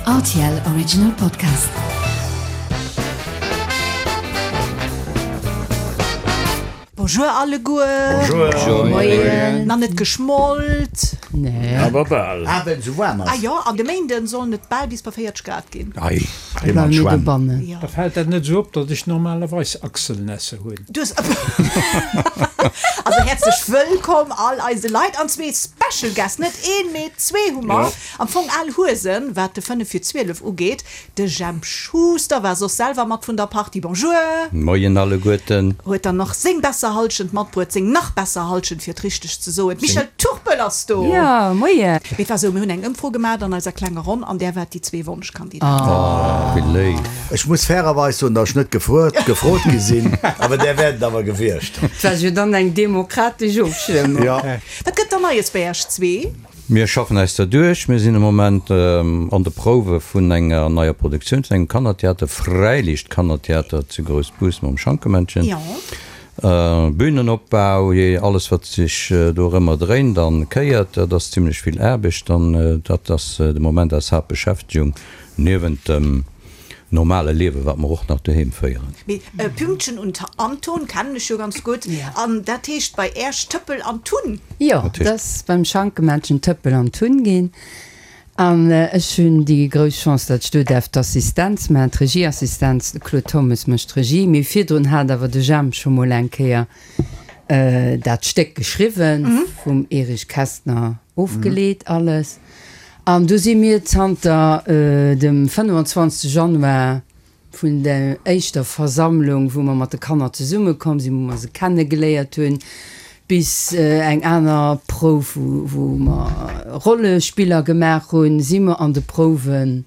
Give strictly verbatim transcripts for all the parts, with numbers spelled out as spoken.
R T L Original Podcast. Bonjour alleguer. Bonjour. Moien. Nach net geschmollt? Nee. Awer bal. Ah, well esou waarm Ah ass. jo, an de Méinden sollen et bal bis bei véierzeg Grad ginn. Ei, Da bleiwe mir dobannen. Jo. Da fält dat net esou op, datt ech normalerweis Achselnässe hunn. Du hues Also häerzlech wëllkomm all eise Leit an zwee Special Guests, net een, mee zwee hu mer. Ja. Am Fong al Huesen, wat de fënnef vir zwielef ugeet. De Jemp Schuster war soss selwer mat vun der Partie. Bonjour. Moien alleguerten. Huet dann nach seng besser Halschent matbruet, seng nach besser Halschent fir et richteg ze soen. D'Michèle Turpel ass do. Ja, moien. Mee et war esou, mir hunn eng Ëmfro gemat an eiser klenger Ronn an där waart déi zwee Wonschkandidaten. Oh, wéi léif. Ech muss fairerweis soen, datt ech net gefruet, gefrot gi sinn, awer där wäert et awer gewiescht. Et war jo dann eng demokratesch Ofstëmmung. Ja. Wat gëtt dann Neies bei Iech zwee? Mir schaffen eis derduerch. Mir sinn am Moment an de Prouwe vun enger neier Produktioun, vun engem Kannertheater, Fräiliicht-Kannertheater zu Groussbus mam Schankemännchen. Jo. Bühnenopbau, jee, alles wat sech dorëmmer dréint an kéiert, dat ass zimlech vill Aarbecht an dat ass de Moment eis Haaptbeschäftegung niewent dem normale Liewe wat mer och nach doheem féieren. Mee Pünktchen und Anton kennen ech jo ganz gutt. An dat heescht bei Äerch Tëppel an Tunn? Jo, dat ass beim Schankemännchen Tëppel an Tunn ginn. An ech hunn déi grouss Chance, datt ech do däerf d'Assistenz maachen, d'Regieassistenz. De Claude Thommes mécht d'Regie. Mee virdrun hat awer de Jemp scho mol eng Kéier dat Stéck geschriwwen, vum Erich Kästner ofgeleet alles. An do si mir zanter dem fënnefenzwanzegste Januar vun der éischter Versammlung, wou mer mat de Kanner zesummekomm sinn, wou mer se kennegeléiert hunn, bis eng aner Prouf, wou mer Rollespiller gemaach hunn, si mer an de Prouwen,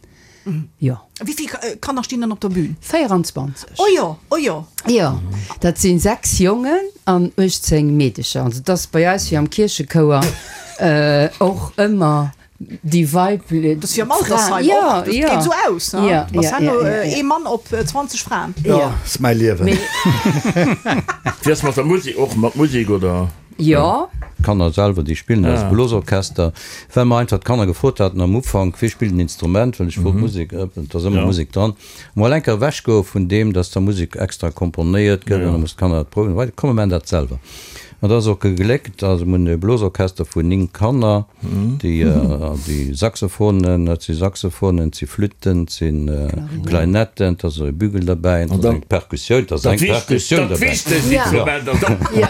jo. Wéi vill Kanner stinn dann op der Bühn? Véieranzwanzeg. Oh jo, oh jo. Jo, dat si sechs Jongen an uechtzéng Meedecher. Also et ass bei eis wéi am Kierchechouer och ëmmer déi weiblech. Dat ass wéi am Altersheim och, dat geet esou aus, ne? Ass herno ee Mann op zwanzeg Fraen. Jo, ass mäi Liewen. Wéi ass mat der Musek, och mat Musek, oder? Jo. D'Kanner selwer, déi spillen eise Blosorchester, well mer einfach d'Kanner gefrot haten am Ufank, wie spillt en Instrument, well ech wollt Musek, et ass ëmmer Musek dran, mol eng Kéier ewechgoe vun deem, dass da Musek extra komponéiert gëtt an da mussen d'Kanner dat prouwen, wei, komm mir maachen dat selwer. An dat ass och gegléckt. Also mir hunn e Blosorchester vun néng Kanner, déi, déi Saxophonen, et si Saxophonen, et si Flütten, et si Klarinetten, et ass e Bügel derbäi, et ass eng Perkussioun, et ass eng Perkussioun Dat derbäi. wichtegst Instrument ass Ja.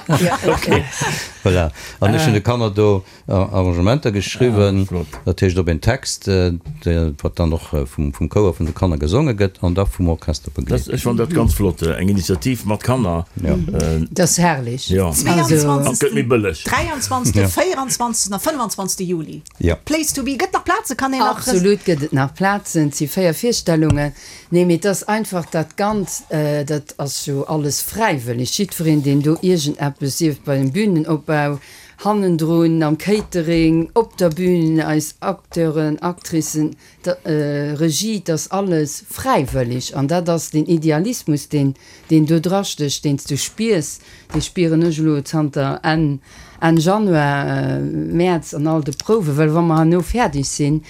Voilà. An ech hunn de Kanner do Arrangementer geschriwwen, dat heescht op een Text, wat dann och vum Chouer vun de Kanner gesonge gëtt an da vum Orchester begleet. Ech fannen dat ganz flott, eng Initiativ mat Kanner. Dat ass herrlech. Jo. An et gëtt méi bëlleg. Dräianzwanzegsten, véieranzwanzegsten a fënnfanzwanzegste Juli. Place to be. Gëtt nach Plazen? Kann een nach. Absolut gëtt et nach Plazen. Et si véier Virstellungen. Nee, mee et ass einfach dat Ganzt, dat ass jo alles fräiwëlleg. Jiddwereen, deen do iergendeppes, sief et bei dem Bühnenopbau, hannendrun, am Catering, op der Bühn, eis Acteuren, Actricen, d'Regie, et ass alles fräiwëlleg. An dat ass deen Idealismus, deen, deen do drastécht, deen s du spiers, dee spieren ech elo zanter Enn, Enn Januar, Mäerz an all de Prouwen. Well wa mer herno fäerdeg sinn,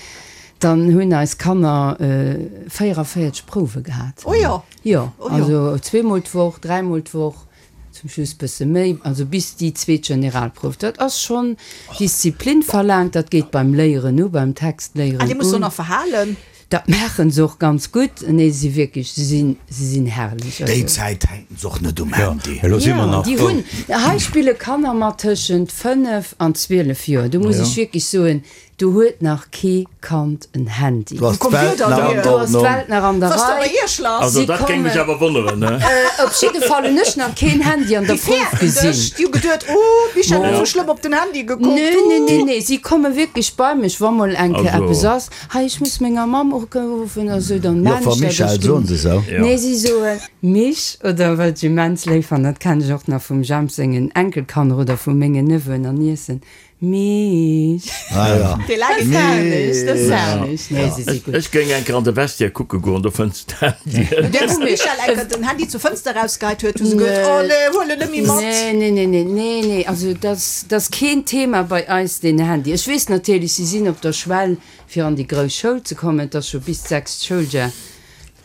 dann hunn eis Kanner véierevéierzeg Prouwe gehat. Oh jo. Jo, Oh jo. also zweemol d'Woch, dräimol d'Woch, zum Schluss bësse méi, also bis déi zweet Generalprouf. Dat ass schonn Disziplin verlaangt, dat geet beim Léieren u, beim Textléieren Ah, Dir musst och un. nach verhalen. Dat maachen se och ganz gutt. Nee, se si wierklech, se sinn, se sinn herrlech. Déi Also. Zäit hänken se och net um Handy. Elo si mer Jo, nach déi frou. hunn, hei spille Kanner mat tëschent fënnef an zwielef Joer. Do muss ech wierklech soen, Do huet nach kee Kand en Handy. Do ass d'Welt nach an Do ass Ordnung. d'Welt nach an der Was ass da bei Rei. Iech lass? Also Si dat géing mech kommen. awer wonneren, ne? Op jidde Fall hunn ech nach keen Handy an der Déi Prouf fäerten dech. gesinn. Déi hu geduet, Oh, d'Michèle huet esou schlëmm op den Handy gekuckt. Nee, nee, nee, nee. Si komme wierklech bei mech, wa mol eng Kéier Also. eppes ass. Hei, ech muss menger Mamm uruffen oder esou, dann maan Joffer ech dat. Michèle, Ech ginn. soen se esou? Jo. Nee, si soen Mich oder wat ech immens léif fannen, dat kennen ech och nach vum Jemp sengen Enkelkanner oder vu mengen Neveuxen an Niecen, Mich. Ah, ja. Dee laange Dat herrlech, dat ass herrlech. Nee, si si gutt. Ech géing eng Kéier an de Vestiaire kucke goen, do fënns de d'Handyen. Dee wou Michel eng Kéier den Handy zur Fënster erausgeheit huet, hu se gehuet, oh nee, huel en net méi mat. Nee, nee, nee, nee, nee, nee. Also dat ass keen Thema bei eis, deen Handy. Ech weess natierlech, si sinn op der Schwell, fir an déi grouss Schoul ze kommen. Et ass scho bis d'sechst Schouljar,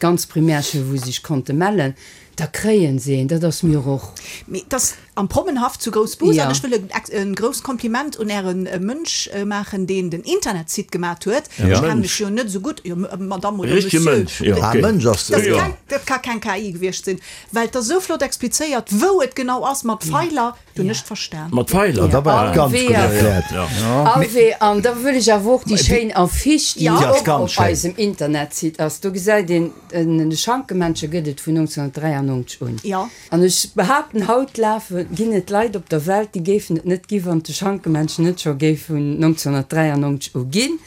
d'ganz Primärschoul, wou se sech konnte mellen. Da kréien se een, dat ass mir och. Mee et ass am Prommenhaff zu Groussbus. Ja. An ech wëll e grousst Kompliment un äre Mënsch maachen, deen den Internetsite gemat huet. Ja. Ech kenne mech jo net esou gutt, jo, Madame oder Richtege Monsieur. Mënsch, jo, Ah, okay. Mënsch ass Dat Jo. kann, dat ka keng K I gewiescht sinn, well et ass esou flott explizéiert, wou et genau ass mat Pfeiler. Du Ja. net verstan. Mat Pfeiler? Da war et ganz gutt Wéi- erkläert. Ja. Alwee, an da wëll ech awer och déi schéin Affiche, déi Ja. Déi ass och ganz op schéin. eisem Internetsite ass. Do gesäit een, en de Schankemännche gëtt et vun neunzehnhundertdräiundneunzeg un. Ja. An ech behaapten, haut lafe ginn et Leit op der Welt, déi géifen et net gi wann de Schankemännchen net scho géif vun neunzehnhundertdräiundneunzeg u ginn.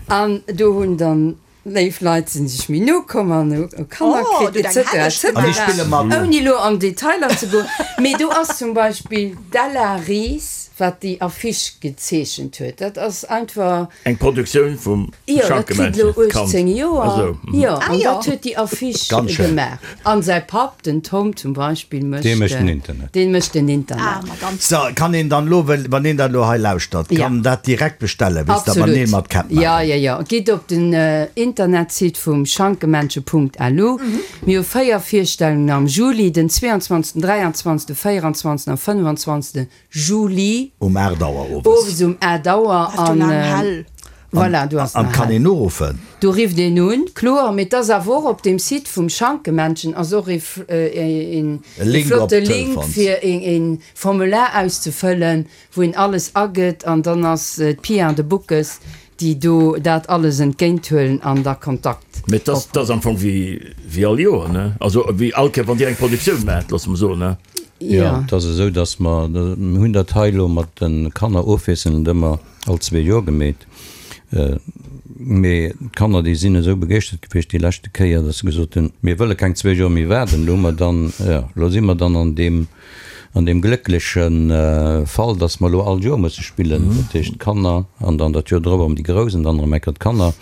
An do hunn dann léif Leit sinn sech méi no komm an hu Kanner Oh, kritt, du et deng cetera, et Helleg cetera. An déi spille mat. Ouni lo an Detailer ze goen. Mee do ass zum Beispill d'Ella Ries, wat déi Affiche gezeechent huet. Dat ass einfach Eng Produktioun vum Jo, dat kritt lo Schankemännchen. Kand. achtzehn Joer. Also, mhm. Jo, Ah, an jo. dat huet déi Affiche Ganz schön. gemaach. An säi Papp, den Tom zum Beispill, mécht, Dee mécht den äh, Internet. Deen mécht den Internet. Ah, Madame. So, kann een dann lo, well, wann een dat lo hei lauschtert, Ja. kann dat direkt bestellen, wéis dat Absolut. wann een mat kennt Ja, maachen. ja, ja. Gitt op den äh, Internetsite vum schankemännche punkt L U. Mir hu véier Virstellungen am Juli, den zweiundzwanzigsten, dräiundzwanzigsten, véierundzwanzigsten a fënnefundzwanzigsten Juli. Um acht Auer owes. Owes um acht Auer. Ass du An, lang äh, hell? Voilà, du hast An nach kann hell. een uruffen? Du rifft een un, kloer, mee et ass awer och op dem Site vum Schankemännchen ass och e f-, äh, een, E Link e flotte op Link Telefons. fir een, een Formular auszefëllen, wou een alles agëtt an dann ass, äh, d'Pia an de Buckes, déi do dat alles entgéinthuelen an da Kontakt. Mee dat, dat ass am Fong wéi, wéi all Joer, ne? Also wéi all Kéier, wann Dir eng Produktioun maacht, loosse mer soen, ne? Ja, Ja. dat ass esou, dass mer, mir hunn dat hei lo mat de Kanner ofwiesselnd ëmmer all zwee Joer gemeet. Äh, mee d'Kanner, déi sinn esou begeeschtert gewiescht déi leschte Kéier, dass se gesot hunn, mir wëlle keng zwee Joer méi waarden. Lo hu mer dann, ja, lo si mer dann an deem, an deem glécklechen, äh, Fall, dass mer lo all Joer musse spillen. Mhm. Dat heescht d'Kanner an dann dat Joer drop ëm déi Grouss an dann erëm eng Kéier d'Kanner.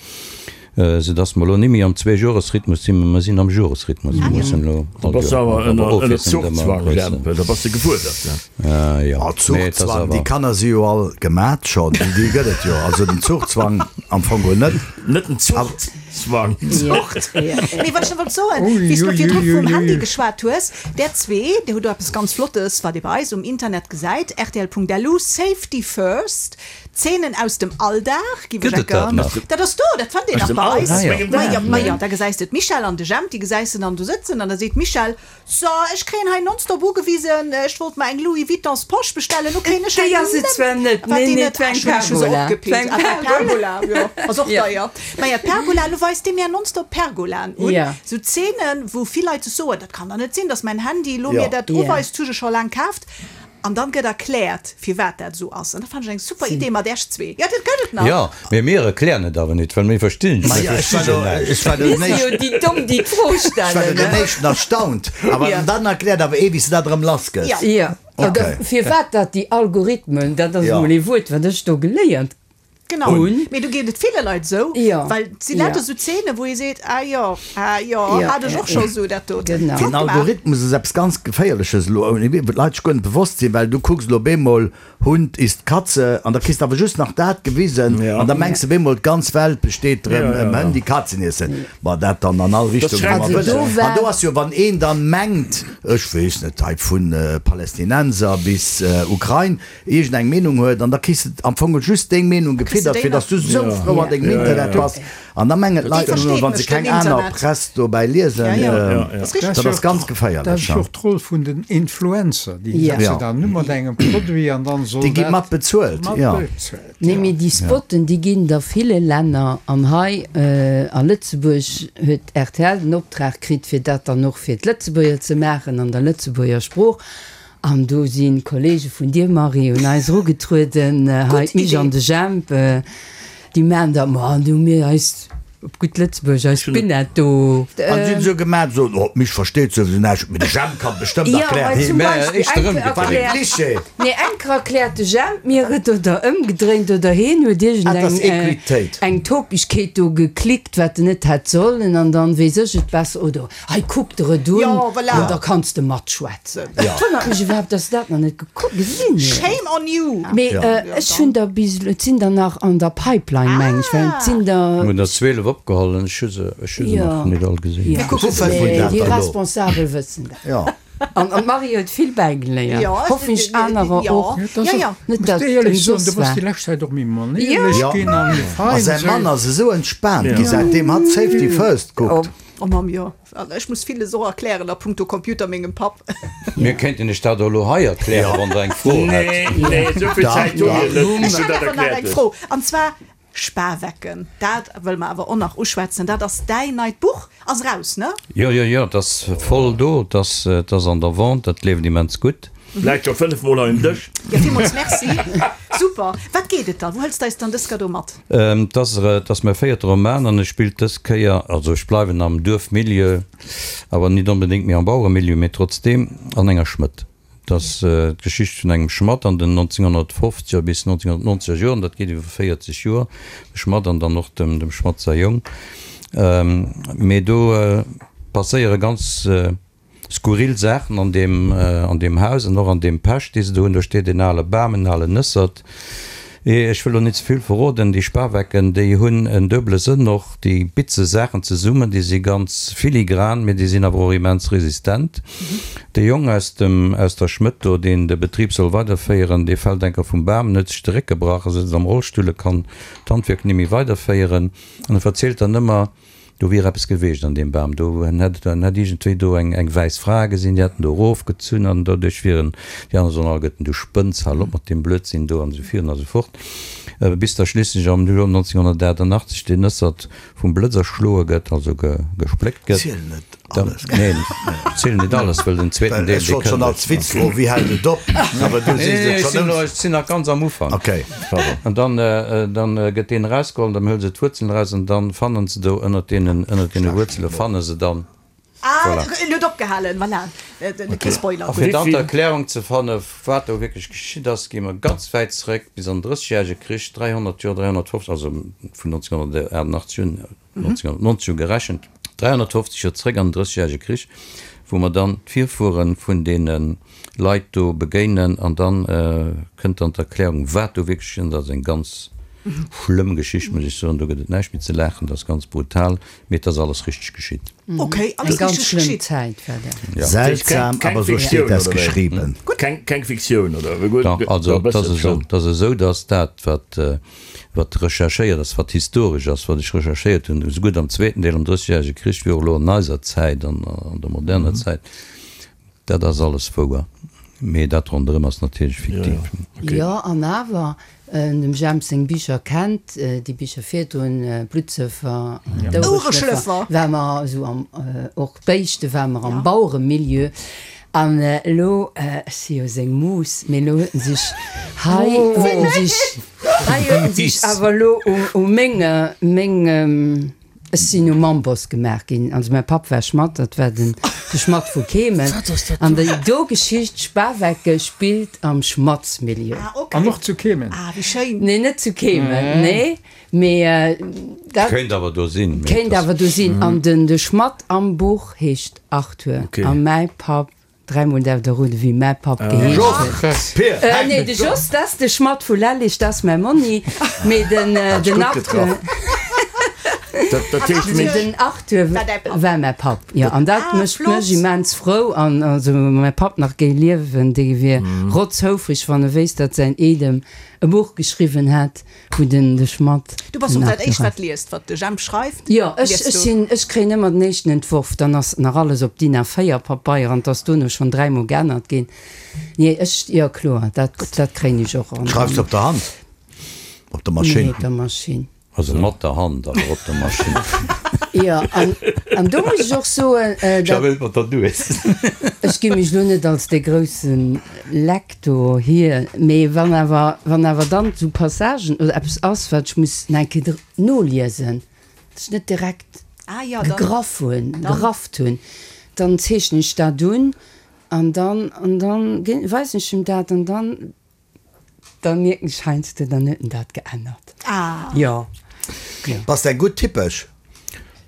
Äh, soudass mer lo net méi am Zweejoresrhythmus sinn, mee mer sinn am Joresrhythmus. Mir mussen lo Da all bass du Joer awer awer ënner, ënner ofwiesselnd ëmmer Zuchzwang, grösser. Jemp. Da bass du gefuerdert, ne? Äh, ja. Ah, Nee, et ass Zuchzwang, awer déi Kanner si jo all gemat schonn, déi, déi gëtt et jo. Also den Zuchzwang am Fong wohl net. Net den Zuchtzwang. Ja. Ja. Mee wat ech nach wollt soen, Ui, wéi s du ui, virdru ui, vum ui, Handy ui. geschwat hues, der zwee, der hutt do eppes ganz Flottes, wat Dir bei eis um Internet gesäit, R T L punkt L U, Safety First, Szenen aus dem Alldag, gi Gëtt et dat nach? Dat ass do, dat fand een Aus nach dem bei eis. Alldag? Ah, ja. Ma ja, ma ja, da gesäis de d'Michèle an de Jemp, déi gesäis de dann do sëtzen an da seet d'Michèle, so, ech kréien hei nonstop ugewisen, ech wollt mer eng Louis Vuitton Posch bestellen, lo kréien ech Déi hei ass et net. zwar net. Wat Nee, déi nee, net? d'war Ah, eng ech hun se Pergola. opgepickt. D'war eng Ah, d'war Pergola. Pergola, jo. Ass och Ja. deier. Ma ja, d'Pergola, lo weist déi mir nonstop Pergolaen un. Ja. Sou Szenen, wou vill Leit sech soen, dat kann doch net sinn, dass mein Handy lo Ja. mir dat Ja. uweist, hu ech scho laang kaaft. An dann gëtt erkläert, firwat dat sou ass. An dat fand ech eng super Si. Idee mat iech zwee. Ja, dat gëtt et nach. Ja, mee mir erklären et awer net, well mir verstinn. Ma ja, ech war do, ech war do Mir si den jo déi Domm, déi d'Fro Ech war do stellen, den ne? éischten erstaunt. Awer Ja. dann erkläert awer eh, wéi s du dat erëm lass gëss. Ja. Ja. Okay. Oder firwat dat déi Algorithmen, dat ass Ja. mol ee Wuert, wat ech do geléiert Genau. hunn. Mee do geet et ville Leit sou, Ja. well si Ja. lauter sou Szenen, wou ee seet, ah jo, ah jo, Ja, hat ech ja, och scho ja. sou dat do. Genau. Flott Den gemaach. Algorithmus ass eppes ganz Geféierleches lo, ouni wou d'Leit sech guer net bewosst sinn, well du kucks lo bemol Hund isst Katze an da kriss du awer just nach dat gewisen Ja. an da mengs du bemol d'ganz Welt besteet drëm, Ja, ja, ëm ja. Hënn, déi Katzen iessen. Ma dat dann an all Richtung, schreckt wou man Also wëll. do war An do ass jo, wann een dann mengt, ech weess net, hei vun, äh, Palästinenser bis, äh, Ukrain, iergendeng Meenung huet, an da kriss du am Fong just deng Meenung Kriss du gefiddert, déi fir nach? dass du sou Ja. frou an dengem Ja, ja, Internet ja. bass. An da mengen Déi d'Leit versteet ëmmer, wann se mech, den keng aner Internet. Press dobäi liesen, Ja, ja. äh, Ja, ja. Das ist richtig. dat ass ganz geféierlech, Dat ass ja. jo och d'Roll vun den Influencer, déi Ja. setzen Ja. dann nur mat engem Produit an dann soll Déi gi dat mat bezuelt, mat ja. bezuelt, Nee, ja. mee déi Spotten, déi ginn der ville Länner an hei, äh, a Lëtzebuerg huet R T L den Optrag kritt, fir dat dann och fir d'Lëtzebuerger ze maachen an der Lëtzebuerger Sprooch. An do sinn Kollege vun dir, Marie, un eis erugetrueden, äh, hei Gutt d'Mich Idee. an de Jemp, äh, déi maachen dat, ma, du mir eis op gutt Lëtzebuergesch, eis Spinett do. An si hunn esou gemaat, esou, oh, d'Mich versteet souwisou näischt, mee de Jemp kann et bestëmmt Jo, erklären. well zum Mä Beispill éischter eng Kéier ëmgedréint. War de erkläert, Cliché. nee, eng Kéier erkläert de Jemp mir et oder ëmgedréint oder heen huet Ah, dat ass iergendeng Equitéit. eng Topegkeet do geklickt, wat en net hätt sollen, an dann weess ech et besser oder hei kuck der et un Jo, voilà. an da kanns de matschwätzen. Ja. Et wonnert mech iwwerhaapt, dass se dat nach net gekuckt, gesinn huet. Shame on you! Mee Ja. ech hunn der bis elo, et sinn der nach an der Pipeline, meng ech, well et sinn der. Mir hunn der zwielef opgeholl an ech hu se, ech hu se Ja. nach net all gesinn. Ja. Wou fënnt een Nee, dat déi dann elo? Responsabel wëssen dat. Ja. An an d'Marie huet vill bäigeléiert. Ja, Hoffen ech anerer ja. och. Dat ass Ja, ja. och- Net Muss dat dir éierlech soen, ëmsoss du bass war. déi lescht Zäit och méi manéierlech Ja. ginn a méi A fein. säi esou. Mann ass esou entspaant gi säitdeem hatt Safety First kuckt. Oh Mamm, jo. Also ech muss villes och erklären a puncto Computer mengem Papp. Mir kéinten iech dat och elo hei erklären, wann der eng Fro hätt. Nee, nee, esou vill Da, Zäit hu da. mir net, bis Ech du hätt dat awer nach erkläert eng hues. Fro. An zwar Spawecken, dat wëlle mer awer och nach uschwätzen. Dat ass däin neit Buch, ass raus, ne? Jo, jo, jo, et ass voll do, et ass, et ass an der Vente, dat leeft immens gutt. Läit scho fënnef Mol hei um Dësch. Ja, villmools Merci. Super. Wat geet et dann? Wou hëls de eis dann dës Kéier do mat? Et ass, et ass mäi véierte Roman an e spillt dës Kéier, also ech bleiwen am Duerfmilieu, awer nit onbedéngt méi am Baueremilieu, mee trotzdeem an enger Schmëdd. Et ass d'Geschicht vun engem Schmadd an den nonzénghonnertfofzeger bis nonzénghonnertnonzeger Joren, dat geet iwwer véierzeg Joer, de Schmadd an dann och dem, dem Schmadd säi Jong. Mee do passéiere ganz skurril Saachen an deem, an deem Haus an och an deem Päsch, dee se do hunn. Do steet en ale Bam, en alen Nëssert. Ech wëll elo net ze vill verroden, déi Spawecken, déi hunn en duebele Sënn och, déi bitze Saachen zesummen, déi si ganz filigran, mee déi sinn awer och immens resistent. De Jong aus dem, aus der Schmëdd do, deen de Betrib soll weiderféieren, dee fält enker vum Bam en huet sech de Réck gebrach a sëtzt am Rollstull, e kann d'Handwierk net méi weiderféieren an e verzielt dann ëmmer, Do wier eppes geweecht an deem Bam. Do en hätt en hätt iergendwéi do eng eng wäiss Fra gesinn, déi hätt en do erofgezunn an doduerch wier en, déi aner soen alleguerten, du spënns, hal op mat deem Blödsinn do an esou virun a sou fort. Bis da schliisslech am Joer neunzehnhundertachtundachtzeg deen Nëssert vum Blëtz erschloe gëtt, also ge gespléckt gëtt. Ziel net alles. Neen, ech zielen net alles, well den zweeten Well Deel, ech dee wollt schonn kënnt. als Witz froen, wéi hält et op? Awer du Nee, sees et ech schonn sinn elo, ëms. ech sinn nach ganz am Ufank. Okay, pardon. An dann, dann gëtt deen erausgeholl, dann huele se d'Wuerzelen eraus an dann fannen se do ënnert deenen, ënnert deene Wuerzele fanne se dann. Ah, Voilà. en huet opgehalen, voilà. Kee Spoiler. A fir dann Wéi vill? d'Erklärung ze fanne wat do wierklech geschitt ass, gi mer ganz wäit zeréck bis an den Drëssegjärege Krich, dräihonnert Joer, dräihonnertfofzeg, also vun neunzehnhundertachtundachtzig un, neunzehnhundertneunzeg u gerechent, dräihonnertfofzeg Joer zeréck an den Drëssegjärege Krich, wou mer dann d'Virfuere vun deene Leit do begéinen an dann kënnt dann d'Erklärung, wat do wierklech geschitt ass. Dat ass eng ganz schlëmm Geschicht, muss ech soen. Do gëtt et näischt méi ze laachen, dat ass ganz brutal, mee et ass alles richteg geschitt. Okay, Eng alles ganz richteg schlëmm geschitt. Zäit war dat. Ja. Seltsam, Keng aber so Fiktioun, steht das oder wéi? geschrieben. Keng, keng Fiktioun, oder? Gutt, Dach, also da et ass bëssen esou, schon. et ass esou, datt dat, wat, wat recherchéiert ass, wat historesch ass, wat ech recherchéiert hunn, esougutt am zweeten Deel, am Drëssegjärege Krich, wéi och elo an eiser Zäit, an, an der moderner Zäit, dat ass alles wouer. Mee dat ronderëm ass natierlech fiktiv. Okay. Jo, an awer, dem Jemp seng Bicher kennt, déi Bicher virdrun, Bluttsëffer, Ouereschlëffer, war mer esou am, och d'Béischte war mer am Baueremilieu. An elo, ech si jo seng Mus, mee elo huet en sech hei, huet en sech, hei huet en sech awer elo u, u menge, meng, ech sinn um Amboss gemaach ginn. Also mäi Papp war Schmadd, dat war den, de Schmadd vu Kehmen. An déi do Geschicht, Spawecke, spillt am Schmaddsmilieu. Ah, okay. An och zu Kehmen? Ah, wéi schéin. Nee, net zu Kehmen, nee. Mee dat. Kéint awer do sinn. Mee Kéint et ass. awer do sinn. An den, de Schmadd am Buch heescht Arthur. Okay. A mäi Papp Dräimol däerf der roden, wéi mäi Papp geheescht huet. Pir, Äh, nee, de Jos, dat ass de Schmadd vu Lellig, dat ass mäi Monni. Mee den, Hat den gutt Arthur, getraff. Dat, dat heescht, mee, den Arthur War däi Papp. war mäi Papp, jo. An dat Ah, mécht flott. mech immens frou. An also, wa mäi Papp nach géing liewen, dee wier rotzhoufreg, wann e wéisst, datt säin Eedem e Buch geschriwwen hätt, wou den de Schmadd Du bass den och dat Arthur Éischt, ass. wat liest, wat de Jemp schreift? Jo, ech, Liest ech du? sinn, ech kréien ëmmer den éischten Entworf, dann ass nach alles op D I N A véier Papeier an 't ass dono schonn dräimol geännert ginn. Nee, ech, jo kloer, dat, dat kréien ech och an. Schreifs du op der Hand? Op der Nee, Maschinn? op der Maschinn. Also mat der Hand, awer op der Maschinn. Jo, an, an do muss ech och soen, äh, dat, wëll mat der Nues. ech gi mech lo net als de groussen Lektor hier, mee wann awer, wann awer dann sou Passagen oder eppes ass, wat ech muss nach eng Kéier noliesen, Datt ech net direkt Ah ja, dann- gegraff hunn, gerafft hunn, dann zeechnen ech dat un an dann, an dann ginn, weisen ech him dat an dann, dann mierken ech heiansdo, dann huet en dat geännert. Ah. Jo. Jo. Bass de eng gutt Tippesch?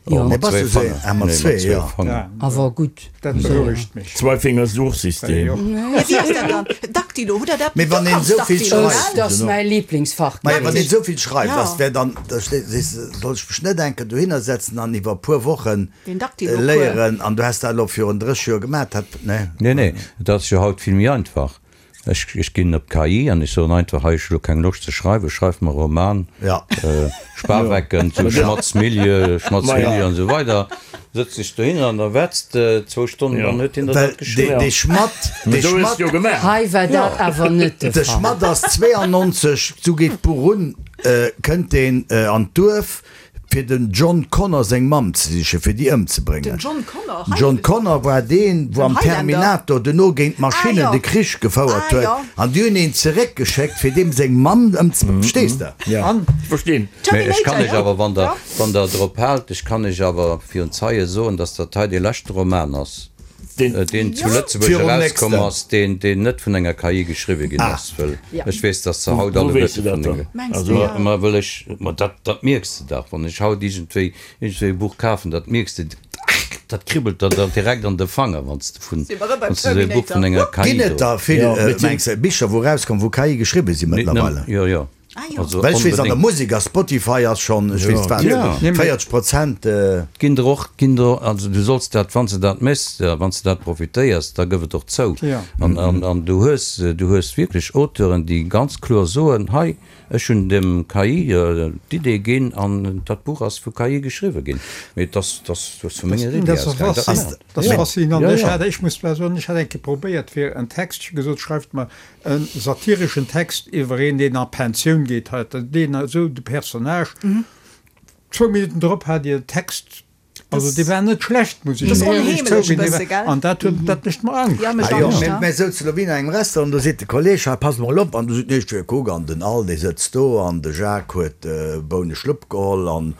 Jo. Nee, bass du Mat zwee se? Ah, mat Fanger. zwee, Nee, mat zwee jo. Fanger. Awer gutt. Dat berouegt mech. Zwei-Finger-Suchsystem. Jo. Ja, wéi ass dat dann? Daktilo, hutt der dat? Mee wann Du een kanns esou vill Daktilo, schreift. gell? Dat ass mäi Lieblingsfach. Maja, wann een esou vill schreift, Ja. ass wär dann, da ste- sees de, soll ech mech net enke dohinner setzen an iwwer e puer Wochen Den Daktilo-Cours. léieren an du häss dat elo virun dréch Joer gemaat, dat, nee. Nee, nee, dat ass jo haut vill méi einfach. Ech, ech ginn op d'K I an ech soen einfach, hei, ech hu lo keng Loscht ze schreiwen, schreif mer e Roman, Ja. äh, Spawecken, zu Schmatzmilieu, Schmatzmilieu an esou weider. Sëtz dech dohinner an da wetzt de zwou Stonnen, Ja. dann huet hien der Well dat de, geschriwwen. de Schmatt, de Esou hues Schmatt, du jo gemaach. Hei war dat awer net de de Fall. Schmatt ass zweeannonzeg, sou geet d'Buch un, äh, kënnt deen äh, an d'Duerf, fir den John Connor seng Mamm ze sichen, fir déi ëmzebréngen. Den John Connor? John Connor war deen, wou am Den Highlander? Terminator duerno géint d'Maschinnen Ah, jo. de Krich gefouert Ah, huet. jo. An déi hunn een zeréckgeschéckt, fir deem seng Mamm ëmzebréngen. Verstees de? Ja. An? Ech verstinn. Mee ech kann Terminator, iech jo. awer, wann der, Ja. wann der drop haalt, ech kann iech awer virun Zeie soen, dass dat hei dee leschte Roman ass, Den- äh, deen zu Ja. Lëtzebuerg Virum erauskomm nächsten. ass, deen, deen net vun enger K I geschriwwe ginn Ah. ass, well Ja. ech weess, dass se haut Wo alle weess du Wette dat vun dann? de- Mengs Also, du, Ma, ja. ma wëll ech, ma dat, dat mierks de dach, wann ech haut iergendwéi, iergendwéi e Buch kafen, dat mierks de, dat kribbelt der dann direkt an de Fanger, wann s de vun, Si mer erëm beim wann s de esou e Buch vun enger Ginn K I et do. der vill, Ja, äh, mit dem- mengs de, Bicher, wou rauskommen, wou K I geschriwwe sinn Net mëttlerweile? nëmmen- Jo, jo. Ah, jo. Also Well ech weess, an der onbedéngt. Musek a Spotify ass schonn, ech weess wat, Ja. véierzeg Prozent, äh, Ginn der och, ginn der, also du solls dat, wann s de dat méchs, ja, wann s de dat profitéiers, da gëff et och zou. Ja. An, an, an du hues, du hues wierklech Auteuren, déi ganz kloer soen, hei, ech hunn dem K I, äh, d'Idee ginn an dat Buch ass vu K I geschriwwe ginn. Mee das, das, das vu menger Idee Dat ass aus, dat faszinant. ass- Dat ass Ja. faszinant. Ja, Ech ja. hat, ech muss mal soen, ech hat eng Kéier probéiert fir en Text, gesot, schreift mer en satireschen Text iwwer een, deen a Pensioun geet, hat, deen esou de Personnage. Mhm. Zwou Minutten drop hat Dir Text, also Das- dee war net schlecht, muss ech Das ass éierlech onheemlech zouginn, e dee bësse, war- gell? An dat huet, dat mécht mer Angscht. Ja, mécht Ah jo, Angscht, mir, ja. mir souzen elo wéi an engem Restaurant, do seet de Kolleg, hei, pass mol op, an du seet, nee, ech will kuck, an den Al, dee sëtzt do, an de Jacques huet, äh, Bouneschlupp geholl, an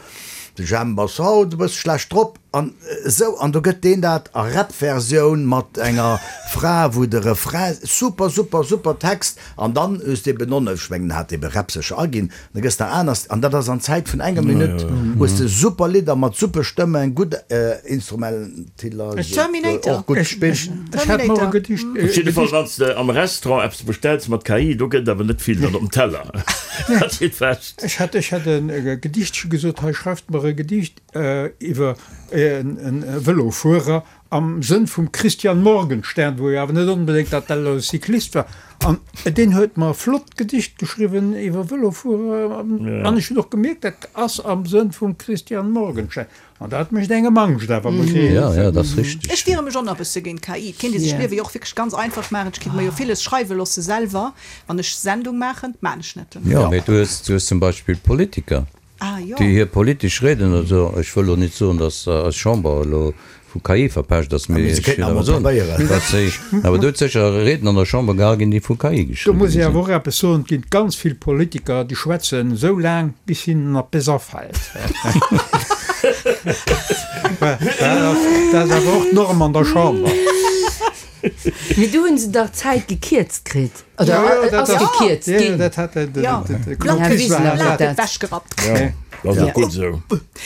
de Jemp ass haut e bësse schlecht drop, an, äh, sou, an do gëtt deen dat a Rap-Versioun mat enger Fra, wou de Refrain, super, super, super Text, an dann hues de eben non, ech mengen, hat ebe Rap sech aginn, da gëss der anders, an dat ass an Zäit vun enger Minutt, hues de super Lidder mat super Stëmmen, gutt, äh, Instrumentiller, Terminator. och gutt Ech, gespillt. ech, ech hat mer e Gedicht, Op äh, jidde Fall, Gedicht wann s de am Restaurant eppes bestells mat K I, do gëtt awer net vill dann op dem Teller. Dat steet fest. Ech hat, ech hat en äh, Gedichtche gesot, hei, schreift mer e Gedicht, äh, iwwer en, en Vëlofuerer am Sënn vum Christian Morgenstern, wou jo awer net onbedéngt dat dat e Cyclist war. An deen huet mer e flott Gedicht geschriwwen iwwer Vëlofuerer. Ja. An ech hunn och gemierkt, dat ass am Sënn vum Christian Morgenstern. An dat mécht engem Angscht, awer muss ich Ja, ja, dat ass richteg. Ech wiere mech och nach e bësse géint K I. Et kéint ee sech Ja. d'Liewe jo och wierklech ganz einfach maachen. Ech kéint mer jo villes schreiwe loosse selwer, wann ech Sendung maachen. Maan ech net. Ja, mee du hues, du hues zum Beispill Politiker, Ah, jo. déi hir politesch Rieden, also ech wëll elo net soen, dass, äh, eis Chamber elo vu K I verpescht ass, mee mee se ech kéinten will awer awer soen, probéieren. dass se, awer do huet sécher Rieden an der Chamber gehal ginn, déi vu K I Do geschriwwen muss ich sinn. awer och eppes soen, et ginn ganz vill Politiker, déi schwätzen esou laang, bis hinnen eppes afält. Dat ass, dat ass awer och d'Norm an der Chamber. Mee do hunn se dach d'Zäit gekierzt kritt. Oder Ja, ja, dat ass ass- gekierzt Ja, ginn. dat hat de, de, Ja. de, de, Blatt Ja, de, Wiesel de, hat Blatt dat. ewechgerappt. Ja, dat ass Ja. och gutt esou.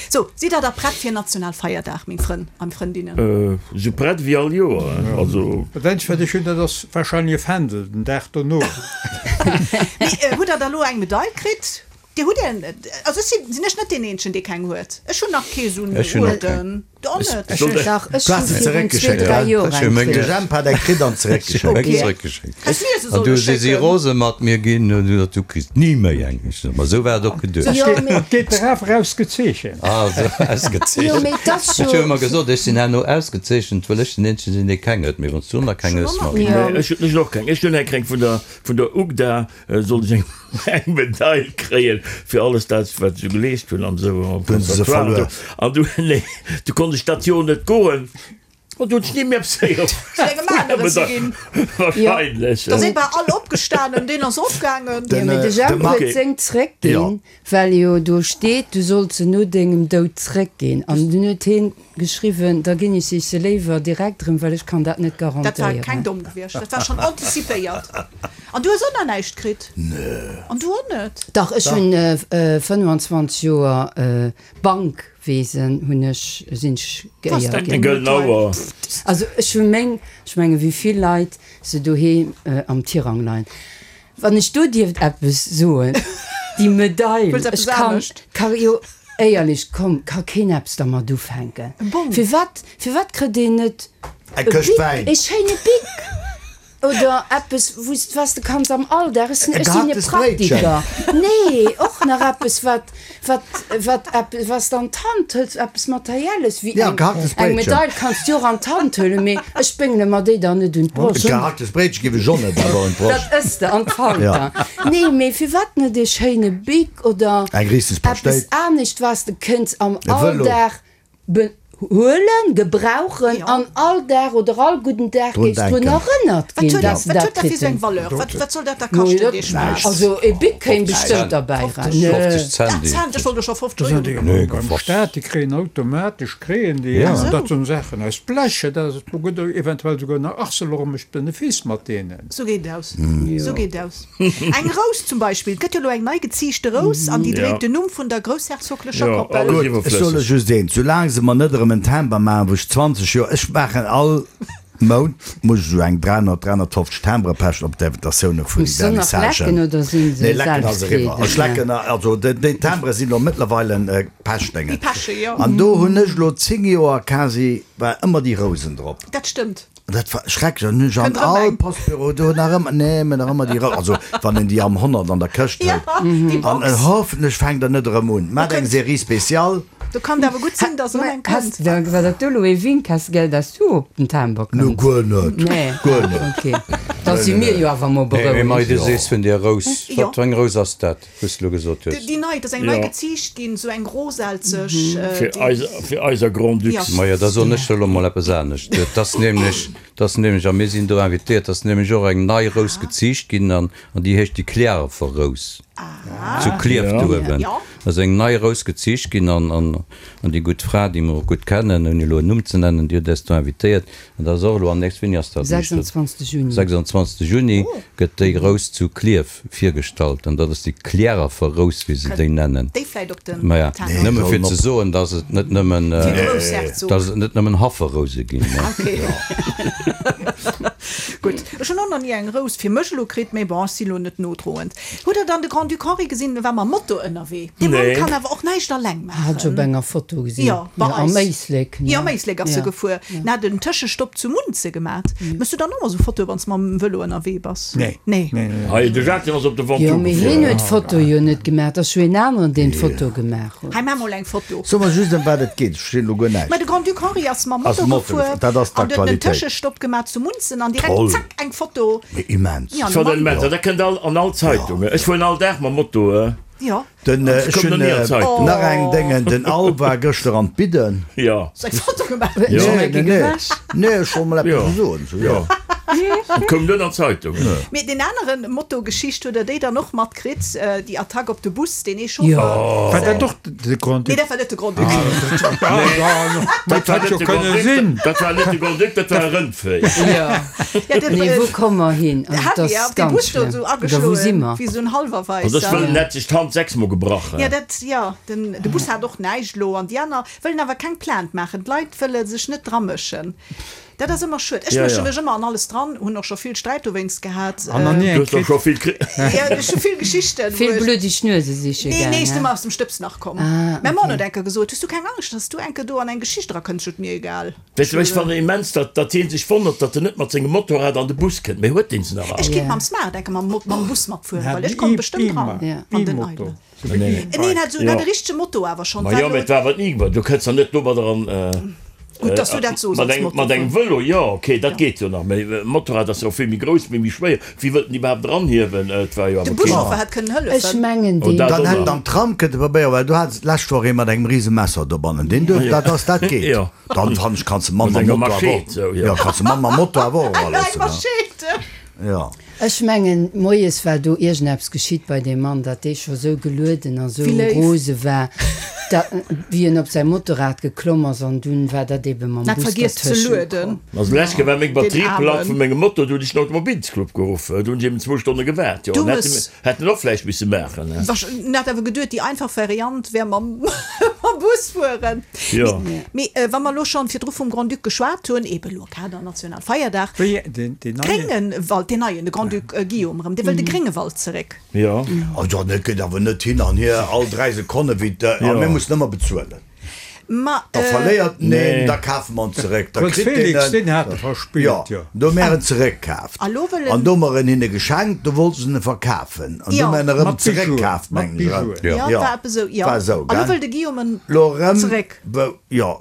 So, sidd der da prett fir Nationalfeierdag, meng Frënn an Frëndinnen? Äh, sou prett wéi all Joer, also. Dat eenzegt, wat ech hunn, dat ass warscheinlech e Fändel, den Dag dono. Mee, äh, hutt der da lo eng Medail kritt? Dir hutt en, also ech sinn, sinn ech net deen Eenzegen, dee keng huet. Ech hunn nach kee sou en Ech hunn och Uerden. Du och net? Soll de- Dach, ech Du has hunn se virun zeréckgeschéckt, zwee, dräi gell? Joer Ech hunn eng meng De kritt. Jemp hat eng kritt an zeréckgeschéckt. Ech Okay. eng zeréckgeschéckt. Häss mir se An solle du si si schécken. rose mat mir ginn und du gesagt, du kriss ni méi eng. Ech so, ma sou war et och geduecht. Jo, Geet, mee- geet der awer ausgezeechent. Ah, sou ausgezeechent. Jo, mee dat ass Ech hu jo- ëmmer gesot, ech sinn herno ausgezeechent, well ech den Eenzegen sinn, dee keng huet. Mee wann s du nach keng hues, Schon Marie. Ja. Nee, ech hunn och keng. Ech hunn eng keng vun der, vun der UGDA, äh, sollt ech eng, eng Medail kréien fir alles dat, wat se geleescht hunn an sou am Hunn se se Conservatoire. verluer. An du, nee, du konnt ech dat Joer net goen. An du huet ni méi eppes héieren. Zu engem anere ze ginn. Wahrscheinlech. Da si bal all opgestanen, deen ass ofgaangen. Jo, mee de Jemp huet seng zréckginn, well jo do steet, du solls se no dengem Doud zréckginn. An dunn huet hien geschriwwen, da ginn ech se léiwer direkt erëm, well ech kann dat net Dat war garantéieren. keng domm gewiescht, dat war schonn antizipéiert. An du hues och nach näischt kritt? Nö. An du och net? Dach, ech hunn fënnwanzwanzeg Joer Bankwesen hunn ech, sinn ech geéiert Eng ginn. gëllen Auer. Also ech hu meng, ech menge wéi vill Leit se doheem am Tirang leien. Wann ech do dierft eppes soen, déi Medail, Wëlls eppes ech kann, anescht? ka jo éierlech, komm, ka keen eppes dermat ufänken. Bong. Firwat, firwat kritt een net Eng e Këscht Bic, Wäin. e schéine Bic oder eppes, wou s, was de kanns am Alldag, ech sinn, E ech sinn e gehacktes Bréitchen. Praktiker. Nee, och nach eppes, wat, wat, wat eppes, was de an d'Hand hëls, eppes Materielles, wéi Ja, eng, gehacktes eng Bréitchen. Medail kanns du och an d'Hand huelen, mee ech béngele mer déi dann net un d'Broscht. E gehacktes Bréitchen giff ech och net awer un d'Broscht. Dat ëss de an d'Falter. Ja. Nee, mee firwat net e schéine Bic oder Eng Riesenspaschtéit. eppes anescht, was de kënns am E Vëlo. Alldag be huelen, gebrauchen Ja. an all Dag oder all gudden Dag Drun géifs drun denken. erënnert Wat ginn, huet dass dat, de wat dat huet dat fir kritt sou eng hues. Valeur? Wat, wat soll dat da No, kaschten, dat, dee Spaass? also e Bic kéim bestëmmt derbäi ran. fofzeg Nö. Cent. Ah, Cent, ech wollt jo scho fofzeg Das sind Euro. déi Nee, beim gefofft. Staat, déi kréien automatesch, kréien déi, Ja. an dat sinn Saachen aus Blech, dat ass, do gëtt eventuell souguer nach Arcelor mécht Benefice mat deenen. Sou geet et aus. Sou geet et aus. Eng Rous zum Beispill, et gëtt jo elo eng nei geziichte Rous an déi Ja. dréit den Numm vun der groussherzoglecher Ja, Koppel. alles Gutt, ech soll iwwerflësseg. lech just eent, soulaang se mer net erëm en Timber maachen, wou ech zwanzeg Joer, ech maachen all Mount, muss ech esou eng dräihonnert, dräihonnertfofzeg Timbere pechen op d'Invitatioune vun Muss se nach lecken Vernissagen. oder sinn se Nee, lecken ass eriwwer. selbstredend? Ech lecken, also déi, déi Timbere sinn elo mëttlerweile Pechdéngen. Déi peche, jo. An do hunn ech elo zéng Joer quasi, war ëmmer déi Rousen drop. Dat stëmmt. Dat war schrecklech. An hunn ech an Kënnt erëm all eng. Postbüro do nach ëmmer, nee, mä nach ëmmer déi Rou-, also wann een déi am honnert an der Këscht Ja, huet. déi An Box. hoffentlech fänkt der net erëm un. Maacht eng Serie spéciale. Do kann et awer gutt sinn, dass erëm eng Has, kënnt. da, war dat do elo ee Wink, has gell, dass du op den Timber No, kënns? guer net. Nee. Guer Ah, net. okay. Da si mir jo awer mol Nee, mee Marie, du berouegt. sees vun der Rous. Jo. Wat fir eng Rous ass dat, wou s du elo gesot hues? Déi nei, dat ass eng nei Ja. geziicht ginn, sou eng roselzeg. äh, Fir déi- eis, fir eiser Grand-Ducs. Ja. Majo, da soen ech elo mol eppes anescht. Dat ass nämlech, dat ass nämlech, a mir sinn do invitéiert, dat ass nämlech och eng nei Rous geziicht ginn an, an déi heescht déi Cliärrwer Rous. Zu Klierf Ja. do uewen. Ja. Ass eng nei Rous geziicht ginn an, an, an déi gutt Fra, déi mer och gutt kennen, ouni elo en Numm ze nennen, déi huet eis do invitéiert. An dat ass och elo am nächsten, wéini ass dat? sechsundzwanzeg Juni. sechsundzwanzeg Juni gëtt déi Rous zu Klierf virgestallt. An dat ass déi Cliärrwer Rous, wéi se déi nennen. Déi vläit op den Maja, Timber. nëmme fir Sollen ze op. soen, dass et net nëmmen, Fir äh, Groussherzog. dass et net nëmmen Hafferrouse ginn, ne? Okay. Gutt. Ech hunn och nach ni eng Rous fir mech elo kritt, mee bon, ech si lo net nodroend. Hutt der dann de Grand-Duc Henri gesinn, war mam Moto ënnerwee? Dee Mann Nee. kann awer och näischt alleng Hat ech op maachen. enger Foto gesinn. Ja, bei Ja, am eis. Éislek, ne? Ja, am Éislek ass se Ja. gefuer. En hat en Tëschestopp zu Munze gemat. Méchs du dann och mol sou Fotoe, wann s mam Vëlo ënnerwee bass? Nee. Nee. Nee, nee. Hei, de Jacques, deen ass op de Jo, Ventoux mee gefuer. hien huet d'Foto jo net gemaach, dat ass jo een aneren, deen d'Foto gemaach huet. Hei, maach mol eng Foto. So mer just, ëm wat et geet, ech verstinn elo guer näischt. Mä de Grand-Duc Henri ass mam Ass Moto Moto gefuer gefuer, dat ass an huet en d'Aktualitéit. Tëschestopp gemat zu Munzen an direkt Toll. zack eng Foto. Mee immens. Ja, Schon normal. immens. Dat kënnt all, an all Zeitungen. Ech fueren all Dag mam Moto. Äh. Ja. Den, äh, ech Kommt hunn, noch nie an äh, d'Zeitung. nach eng Déngen, den Al war gëschter an d'Bidden. Ja. Hues eng Foto gemaach? Ja. Nee, nee, nee. Nee, ech wollt mol eppes Ja. soen, so, ja. Ja. Koum net an d'Zeitung. Mee den aneren Moto-Geschicht hutt der déi dann och matkritt, déi Attack op de Bus, deen ee Chauffer. Jo. War dat och de Grand-Duc? Nee, dat war net de Grand-Duc. Dat hätt jo de kënne Grand-Duc, sinn. Dat war net de Grand-Duc, dat war e Rëndvéi. Jo. Ja, de, Nee, wou komme mer hin? De Also, dat Javier ass op dee ganz Bus do schlëmm. esou Oder wou si ageschloen, mer? wéi esou en Also ech Hallwerweisser. wëll, en hätt sech d'Hand sechsmol gebrach. Ja, dat, ja, den, de Bus hat och näischt elo an déi aner wëllen awer keng Plainte maachen. D'Leit wëlle sech net dramëschen. Dat ass ëmmer schued. Ech Ja, mësche ja. mech ëmmer an alles dran, hunn och scho vill Sträit dowéinst gehat. An nach ni Du eng hues doch kritt. scho vill kri. Ja, ech hu vill Geschichten, wou Vill ech. bluddeg Nuese siche Nee, nee, gaang, ech sinn hä? ëmmer aus dem Stëbs nach komm. Ah, Mäi Mann okay. huet enker gesot, Hues du keng Angscht, dass du enker do an eng Geschicht erakënns? Ech sot, Mir egal. Weess du, ech fannen immens, datt, datt hien sech wonnert, datt en net mat sengem Motorrad an de Bus kënnt. Mee huet deen se nach all? Ech Ja. kinnt mam Smart enker mam, mam Bus matfueren, Hat well ech en komm E- bestëmmt dran. Ja. An den E-Moto. Eidel. Nee, nee. Nee, en hat sou, en Ja. hat e richtege Moto awer schonn. Ma War jo, elo. mee et war awer d'Nigma. Du kënns dann net domadder an. Gutt, dass du dat soos Mat als engem, mat engem Motorfuerer. Vëlo, jo, okay, dat geet jo nach, mee e Motorrad ass jo och vill méi grouss, méi méi schwéier. Wéi wëllt en iwwerhaapt eranhiewen? Et war jo De awer keen. Buschauffer hätt kënnen Ech hëllefen. mengen Oh, deen. dat Dann och hätt nach. en am Tram kënne probéieren, well do hat se d'lescht Woch ee mat engem rise Messer dobannen. Deen duerf, dat ass, dat geet. Jo. Dann fannen ech, kanns de Mann Mat mam enger Moto awer Machete, och, sou, jo. jo, kanns de Mann mam Moto awer och Eng eraloossen, ne? Machete! Jo. Ech mengen, moies war do iergendeppes geschitt bei deem Mann, datt dee scho sou gelueden a sou Wéi léif. rose war, datt, wéi en op säi Motorrad geklomm ass, an dunn war dat ebe mam Hat Bus vergiess ze dertëschent lueden. komm. Also lescht Kéier war meng Den Batterie platt Aarmen. vu mengem Moto, du hunn ech den Automobilsclub geruff. Do hunn ech eben zwou Stonne gewaart. Jo, Du an hätte hues. hätten och vläicht misse maachen, ne? Wasch, en hat awer geduet, déi einfach Variant wär mam, mam Bus fueren. Jo. Mee, mee wa mer elo schonn virdru vum Grand-Duc geschwat hunn, ebe elo Kader Nationalfeierdag, Wéi, deen, deen neien? Gréngewald, deen neien, de Grand-Duc Guillaume erëm, dee wëll de Gréngewald zeréck. Jo. Also dat geet awer net hin an hier all dräi Sekonne wéi de, a Jo. mir mussen ëmmer bezuelen. Ma, Da verléiert en een, Nee. da kafe mer en zeréck, da Prënz kritt deen Felix, en, deen hat e verspillt, jo, jo. do hu mer en zeréckkaaft. A lo wëll en. An do hu mer en hinne geschenkt, do wollte se en verkafen. An do Jo. hu mer en erëm Mat Bijouen, zeréckkaaft, mat mengen ech. Bijouen. Jo. Ja, Jo, war eppes esou, jo. war esou, A lo gell? wëll de Guillaume en Lo erëm, zeréck. wou, jo.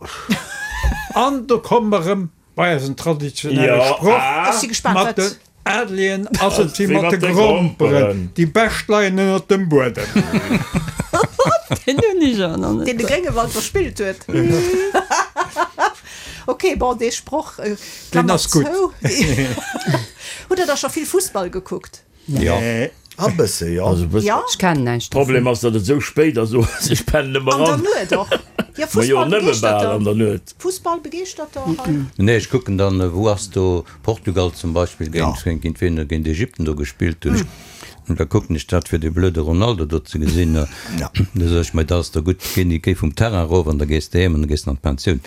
An do komme mer erëm bei eisen traditionelle Jo, Sproch, ah. Ech si gespaant, Mat wat. den Adligen ass et wéi Wéi mat de Gromperen, déi bescht leien ënnert dem Buedem. Deen hunn ech och nach net. Deen de Gréngewald verspillt huet. Ok, bon, dee Sproch, Deen Klammer ass gutt. zou. Hutt Der da scho vill Fussball gekuckt? Jo. Nee. A bësse, jo. Also e bëssen. Ja? Ech kennen näischt dovun. Problem ass, datt et esou spéit ass, ech pennen ëmmer An der an. Nuet och. Ja, Ma jo, nëmme bal an Fussballbegeeschterter. der Nuet. Fussballbegeeschterter hei. Nee, ech kucken dann, wou ass do Portugal zum Beispill Ja. géint, géint wien, géint Ägypten do gespillt hunn. Und da kucken ech dat fir de blöde Ronaldo do ze gesinn. Ja. Da sag ech mir, dat ass da gutt, geh, géi vum Terrain erof an da gees de heem an da gees de an d'Pensioun.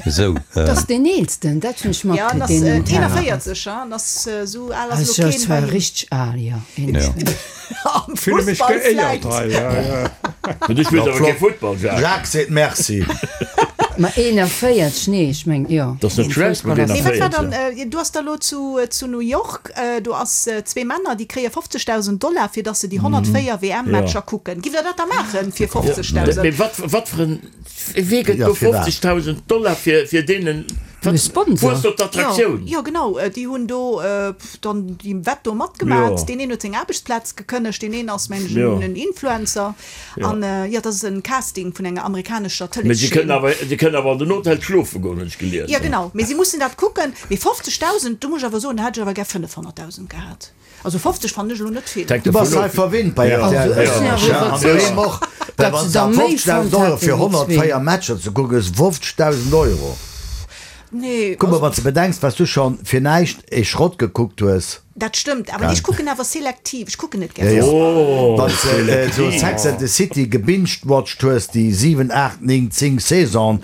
Esou. Dat ass deen eelsten, dat hunn ech Ja, matkritt, en ass deen um Terrain ass. eenanvéierzeg, hein? En ass esou al ass Also elo dat keen war bei him. richteg al, jo. Ja. Am Fülle mech Fussball geéiert vläicht. hei, ja, ja. Mä du spills Ja, awer kee flott. Futtball, Jacques. Jacques seet Merci. Ma eenanvéierzeg, nee, ech meng, jo. Dat ass net schlecht mat Nee, wat war eenanvéierzeg. dann, äh, du ass da lo zu, zu New York, äh, do ass äh, zwee Männer, déi kréie fofzegdausend Dollar, fir dass se déi honnertvéier W M-Matcher Ja. kucken. Giff der dat da maachen fir fofzegdausend? Mee wat, wat fir en, wee gëtt Ja, do fir wat? fofzegdausend Dollar fir, fir deenen, E Sponsor. Wou ass do d'Attraktioun? Jo, jo genau, déi hunn do dann déi Wett do matgemat. Jo. Deen een huet seng Aarbechtsplaz gekënnegt, deen een ass, mengen ech, Jo. en Influencer. Jo. An jo, dat ass en Casting vun enger amerikanescher Mee si kënnen Tëleeschaîne. awer, si kënnen awer an den Hotel schlofe goen, hunn ech gelies. Jo, genau, mee si mussen dat kucken. Mee fofzegdausend, do muss ech awer soen, da hätt ech awer gär fënnefhonnertdausend gehat. Also fofzeg fannen ech elo net vill. Hänkt Du dovun bass hei of. verwinnt bei Ja. R T L. Also ech sinn awer Ja, an iwwerzeegt, doheem och. Well datt wann se se der méi fofzegdausend fonnt Euro hätten fir wéi zwee. honnertvéier Matcher ze kucken, ass fofzegdausend Euro. Nee, Guck mol, also wann s de bedenks, was du schon fir näischt e Schrott gekuckt hues. Dat stëmmt, awer ech kucken awer selektiv, ech kucken net gär Ja, ja. Fussball. Oh, Wann s de äh, so Sex and the City gebinged-watched hues, déi siwen, aacht, néng, zéng Saison,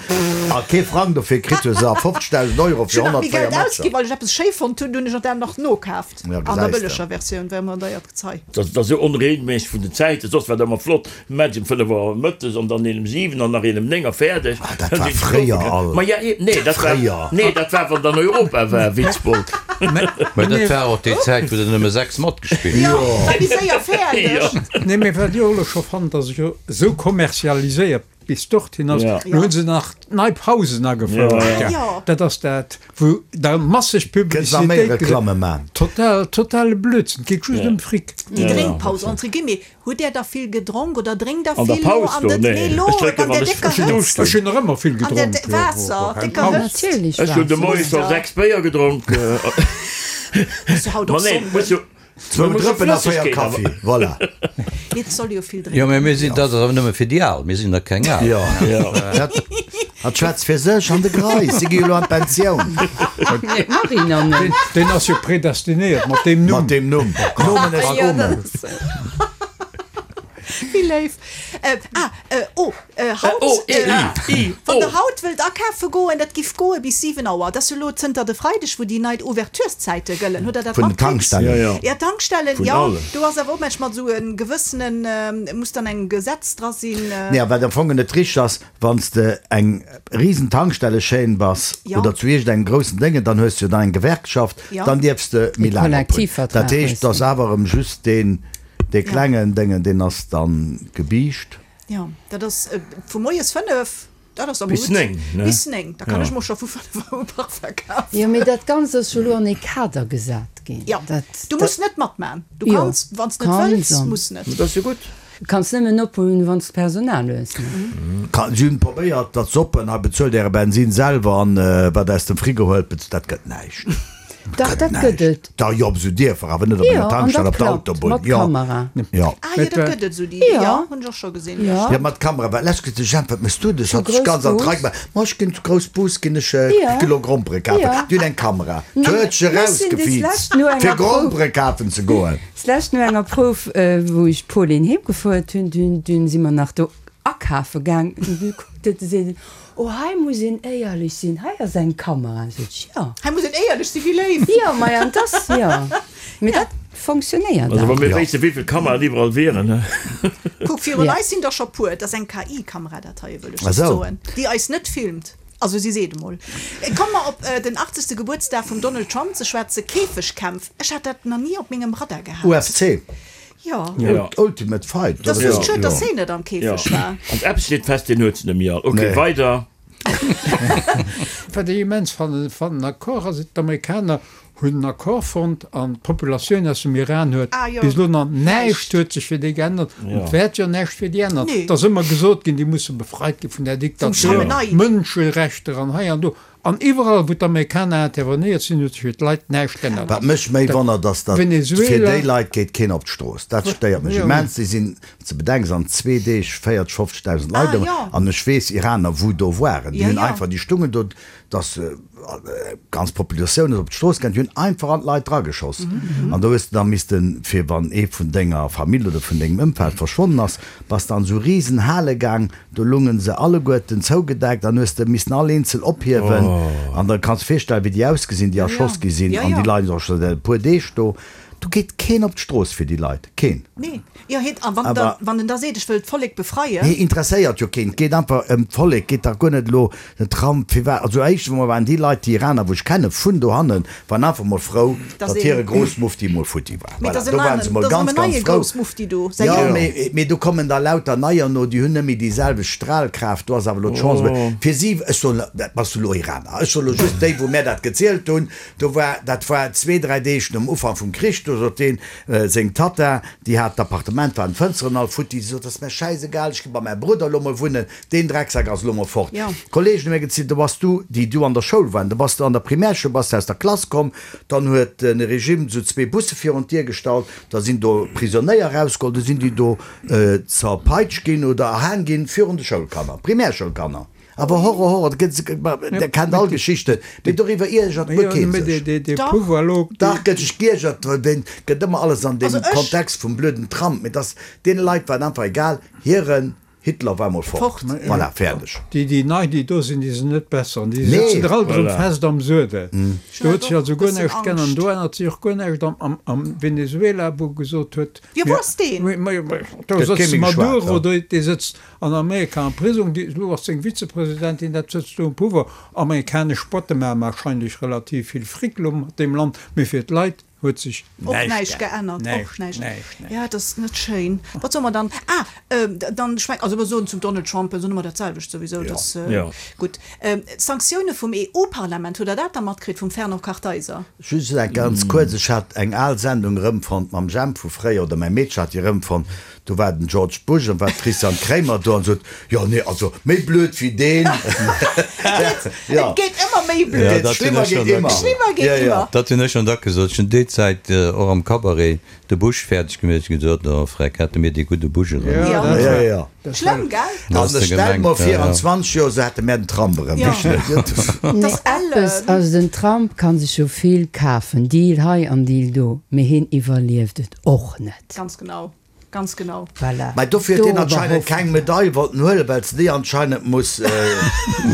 a kee Frang dofir kritt hues, a fofzegdausend Euro Ech fir hunn nach méi honnertvéier Geld Matcher. ausginn, well ech eppes schéi fonnt hunn, hunn ech dat nach nokaaft. Ja, An der gesäis de. bëlleger Versioun, well mer deiert Gezei. Dat ass esou onregelméisseg vun den Zäiten, soss war dat ëmmer flott, Match um fënnef Auer mëttes an dann een um siwen an nach een um néng a fäerdeg. Ah, dat war fréier all. Ma ja, eben, nee, dat war, Fréier. nee, dat war, wann dann Europa war, Witzbold. Mä dat war och déi Zäit, wou der nëmme sechs matgespillt Jo, hunn. war méi séier fäerdeg. Nee, mee wat ech och elo scho fannt, dass et jo esou kommerzialiséiert bis dorthin ass, Ja. lo hunn se nach nei Pausen agefouert. Ja, Ja. ja. Dat ass dat, wou da masseg Kënns nach méi Publicitéit Reklamme man. Total, totale Blödsinn, et geet just Ja. ëm Fric. Déi Ja, ja. Drénkpaus, entre guillemets, hutt Där da vill gedronk oder drénkt Der An der vill lo Paus an do? der, Nee, nee, lo ech drénken, an wann der ech décker ech hunn Hëtzt? Duuscht. Ech hunn nach ëmmer vill An der gedronk, de jo, Waasser, keng décker Paus. Hëtzt. Natierlech Ech hunn de Waasser. Moie scho sechs Béier gedronk. Ass jo haut Ma och nee, Sonnden. muss jo, Zwou Drëppen a véier Kaffi, voilà. Nee, et soll jo vill Jo, drénken. mä mir sinn, dat ass awer nëmme fir déi Al, mir sinn nach keng Al. Jo, dat, dat schwätzt fir sech an de Greis, si gi jo elo an d'Pensioun. Nee, Marie nach net. Deen, deen ass jo predestinéiert mat deem Numm. Mat deem Numm. Nomen est Jo, Omen. dat ass. Wéi léif. Äh, ah, äh, oh, äh, haut, Oh, E, äh, I, I, wann O. der haut wëllt akafe goen, dat giff goe bis siwen Auer. Dat ass jo elo zënter de Freideg, wou déi nei Ouvertureszäite gëllen. Hutt der dat Vun den matkritt? Tankstellen. Ja, ja. Ja, Tankstellen, Vun ja. allen. Do ass awer och manchmal esou e gewëssenen, äh, muss dann eng Gesetz dra sinn, äh. Nee, wat am Fong net richteg ass, wann s de eng risen Tankstellechaîne bass Ja. oder zu iergendengem groussen Déngen, dann hues du jo da eng Gewerkschaft, Ja. dann dierfs de méi E laang op hunn. Kollektivvertrag Dat heescht, hues de. dass awer erëm just deen, Dee klengen Déngen, deen ass dann gebiischt. Jo, dat ass vu moies fënnef Dat ass awer Bis gutt. néng, ne? Bis néng, da kann Ja. ech mer scho vu fënnef Auer e Parfum kafen. Jo, mee dat Ganzt ass jo elo an ee Kader gesat ginn. Ja, Dat, du muss net matman. Du Jo, kanns, wann s net kanns wëlls, an. muss net. Dat ass jo gutt. Kanns nëmmen ophuelen, wann s d'Personal hues, ne? Kann, si hunn probéiert, dat s'oppen, hei bezuelt äre Bensin selwer an wat aus dem Frigo huelt, bez, dat gëtt näischt. Dach, dat gëtt et. Da jo, op esou Dierfer, awer net op Jo, enger an Tankstell, dat op der klappt, Autobunn. mat Jo. Kamera. Jo. Ah jo, dat gëtt et esou déi, Jo. jo, hunn ech och scho gesinn. Jo. Jo, mat Kamera, well lech gesot, Jemp, wat méchs du? Du Zu hat sech ganz an Groussbus. d'Rei gemaach. Ma ech ginn zu Groussbus, ginn ech e Jo. Kilo Grompere kafen. Jo. Déi hunn eng Kamera. D'huet sech Mir sinn déi erausgefiizt, lescht no enger fir Prouf. Grompere kafen ze goen. D'lescht no enger Prouf, wou ech d'Pauline heemgefuert hunn, dunn, dunn si mer nach do akafe gaang. Du kuckt et, seet en, Oh, hei muss een éierlech sinn, hei ass eng Kamera. Sot ech, jo. Hei muss een éierlech sinn, wéi léif. Jo, ma ja, dat ass, jo. Mee dat fonctionnéiert Also wa awer. mir wéisste wéivill Kameraen iwwerall wieren, ne? Kuck, virun Ja. eis sinn der scho puer. Dat ass eng KI-Kamera, dat hei, wëll ech Ah just sou. soen, déi eis net filmt. Also si seet emol. Komme mer op den achtzegste Gebuertsdag vum Donald Trump ze schwätzen, Käfegkämpf. Ech hat dat nach ni op mengem Radar gehat. UFC. Jo. Ja. Ultimate Fight. Dat ass oder? just schued, dass Ja. heen net am Käfeg Ja. war. An eppes steet fest, deen huet se net méi all. Ok, Nee. weider. Wat ech immens fannen, fannen Accord ass, d'Amerikaner hunn en Accord fonnt an d'Populatioun aus dem Iran huet Ah, jo. bis elo nach näischt huet sech fir déi geännert Ja. an et wäert jo näischt fir déi ännert. Nee. Et ass ëmmer gesot ginn, déi musse befreit gi vun der Vum Diktatur, Chamenei. Mënscherechter an hei an do. An iwwerall, wou d'Amerikaner intervenéiert sinn, huet sech fir d'Leit näischt geännert. Wat mech méi wonnert, ass, datt fir Venezuela. déi Leit geet keen op d'Strooss. Dat stéiert mech Jo. immens. Déi sinn, ze bedenken, an zwee Deeg véierteg, fofzegdausend Leit Ah, ëm. jo. An ech weess, Iraner, wou do waren, déi Ja, hunn ja. einfach, déi stungen do, dass ganz Populatioun ass op d'Strooss gaang, déi hunn einfach an d'Leit drageschoss. An do hues de da missten, fir wann ee vun denger Famill oder vun dengem Ëmfeld verschwonnen ass, bass de an esou riesen Hale gaang, do lungen se alleguerten zougedeckt, dann hues de missen all eenzel ophiewen. An da kanns de virstellen, wéi déi ausgesinn, déi erschoss gi sinn, Ja, an ja. déi leien och scho säit e puer Deeg do. Do geet keen op d'Strooss fir déi Leit, keen. Nee. Jo, hien, a wann Aber da, wann en da seet, ech wëll d'Vollek befreien. Nee, interesséiert jo keen. Et geet einfach ëm d'Vollek, geet dach guer net elo den Trump, firwat, also éischtens emol waren déi Leit, déi Iraner, wou ech kenne vun dohannen, waren einfach mol frou, Dass datt een, hire Grossmufti mol futti war. Mee Voilà, dass en do waren neien, se mol dass ganz, en ganz neie frou. Grossmufti do, säi Jo, Jong. mee, mee do kommen da lauter neier no, déi hunn net méi déi selwecht Strahlkraft, do ass awer elo d'Chance, oh. Fir si, ech soen, dat bass du elo Iraner, ech soen elo just déi, wou mär dat gezielt hunn, do war, dat war zwee, dräi Deeg nom Ufank vum Krich, do sot deen, seng Tatta, déi hat d'Appartement, waren d'Fënsteren all futti, si sot, dat ass mär schäisegal, ech gi bei mäi Brudder elo mol wunnen, deen Drecksack ass elo mol fort. Jo. Kollegen hu mär gezielt, do bass du, déi du an der Schoul waren, do bass du an der Primärschoul, bass du aus der Klass komm, dann huet de Regime sou zwee Busse virun d'Dier gestallt, da sinn do Prisonéier erausgeholl, du sinn déi do zerpeitscht ginn oder erhaang ginn virun de Schoulkanner, Primärschoulkanner. Awer Horror, Horror, dat gëtt, der kennt all Geschichten, mee doriwwer iergert guer keen sech. Dach. Dach gëtt sech giergert, well deen gëtt ëmmer alles an deem Also ech. Kontext vum blöden Trump, mee dass deene Leit war et einfach egal, hiren Hitler war mol fort. Fort. Voilà, fäerdeg. Déi, déi nei, déi do sinn, déi sinn net besser. Déi Nee. sëtzen der alt erëm Voilà. fest am Suedel. Do huet sech also guer Bëssen näischt geännert. Angscht. Do ännert sech och guer näischt am, am, am Venezuela, wou gesot huet, Jo, wou ass deen? Mir, mir, mir, do Gëtt sëtzt kee méi geschwat, Maduro, ja. do, dee sëtzt an Amerika am Prisong, déi, elo ass seng Vizepresidentin, dat sëtzt do um Pouvoir. Amerikanesch Spotte maachen wahrscheinlech relativ vill Fric elo mat deem Land, mee fir d'Leit huet sech Och näischt geännert, och Näischt, näischt. näischt, näischt. Ja, dat ass net schéin. Wat solle mer dann, ah, ähm, dann schwäi-, also mer soen zum Donald Trump, soen mer dat selwecht souwisou, Ja. dat, äh, Ja. gutt. Ähm, d'Sanktioune vum EU-Parlament, hutt Der dat da matkritt vum Fernand Kartheiser? Just eng ganz kuerz, ech hat eng al Sendung erëmfonnt mam Jemp vu fréier, oder mäi Meedche hat déi erëmfonnt, do war den George Bush an war d'Christiane Kremer do an sot, jo nee, also méi blöd wéi deen. Et geet ëmmer méi Ja, blöd. dat hunn Schlimmer ech geet schon dack ëmmer. Schlimmer geet Ja, ja. ëmmer. Dat hunn ech schon dack gesot. Ech hunn déi Zäit och am Cabaret de Bush fäerdeg gemeet. Ech hunn gesot, oh Freck, hätte mir dee gudde Bush erëm. Ja, Ja. dat Ja, war- ja. dat Schlëmm, war- gell? Da An hast ech de stell gemengt, mer ja, vir, ja. an zwanzeg Joer, sou hätte mär den Trump erëm. Ja. Nee, Das eppes, Ellen. also den Trump kann sech jo vill kafen, Deal hei an Deal do, mee hien iwwerlieft et och net. Ganz genau, ganz genau. Voilà. Mä dofir huet Do deen anscheinend iwwerhoffen. keng Medail wollten huelen, well se déi anscheinend muss.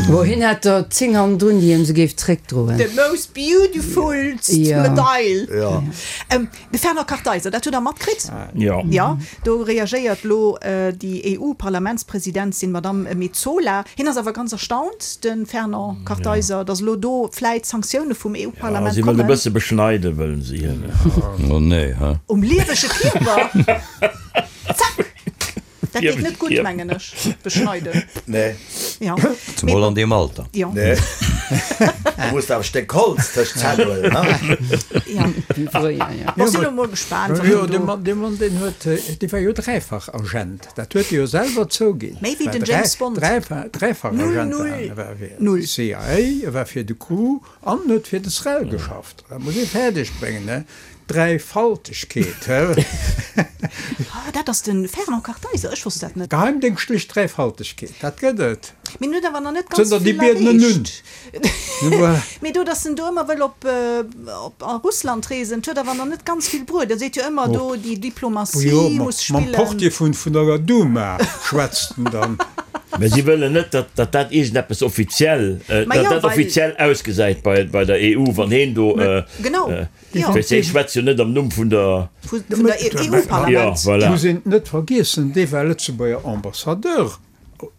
Wo hien hätt der zéng hannendrun, déi him se géif zréckdroen. The most beautifulst Ja. Medail. Ja. Ähm, de Fernand Kartheiser, dat hutt Der matkritt? Ja. Ja, do reagéiert lo déi EU-Parlamentspresidentin Madame Metsola. Hien ass awer ganz erstaunt, de Fernand Kartheiser, datt lo do vläit Sanktioune vum Ja, EU-Parlament si wëllen e kommen. bësse beschneide wëllen si hien. Oh nee, hä? Um liewege Kierper. Zack! Dat geet net gutt, mengen ech, beschneiden. Nee. Ja. Zemol an deem Alter. Jo. Nee. Du muss awer e Stéck Holz tëscht d'Zänn huelen, ne? Ja. Wéi fréier, ja. Bon, sinn elo mol gespaant, wat Jo, en dee do. Mann, dee Mann, deen huet, dee war jo dräifach Agent. Dat huet e jo selwer zouginn. Méi wéi War den dräi, James Bond. dräifa, dräifach Null, Agent null, war en. E war fir null. d'C I A, e war fir de C R U an huet fir de S R E L geschafft. Dat muss ee fäerdeg bréngen, ne? Dräifaltegkeet, he? Ah, dat ass de Fernand Kartheiser, ech wosst dat net. Geheimdéngschtlech Dräifaltegkeet, dat gëtt et. Mee en huet awer nach net ganz Zënter déi vill Biedenen nun. erreecht. Mee do, datt en do ëmmer wëll op, op a Russland reesen, 't huet awer nach net ganz vill bruet. E seet jo ëmmer do, déi Diplomatie Jo, muss mam spillen. Portier vun, vun der Duma schwätzt en dann. Mä si wëllen net, datt, datt dat iergendeppes offiziell, Ma datt jo, dat well. offiziell ausgesäit bei, bei der E U, wann heen do, Genau, jo. Weess, hee schwätzt jo net am Numm vun der. Vun der E U-Parlament. Jo, voilà. Muss een net vergiessen, dee war Lëtzebuerger Ambassadeur,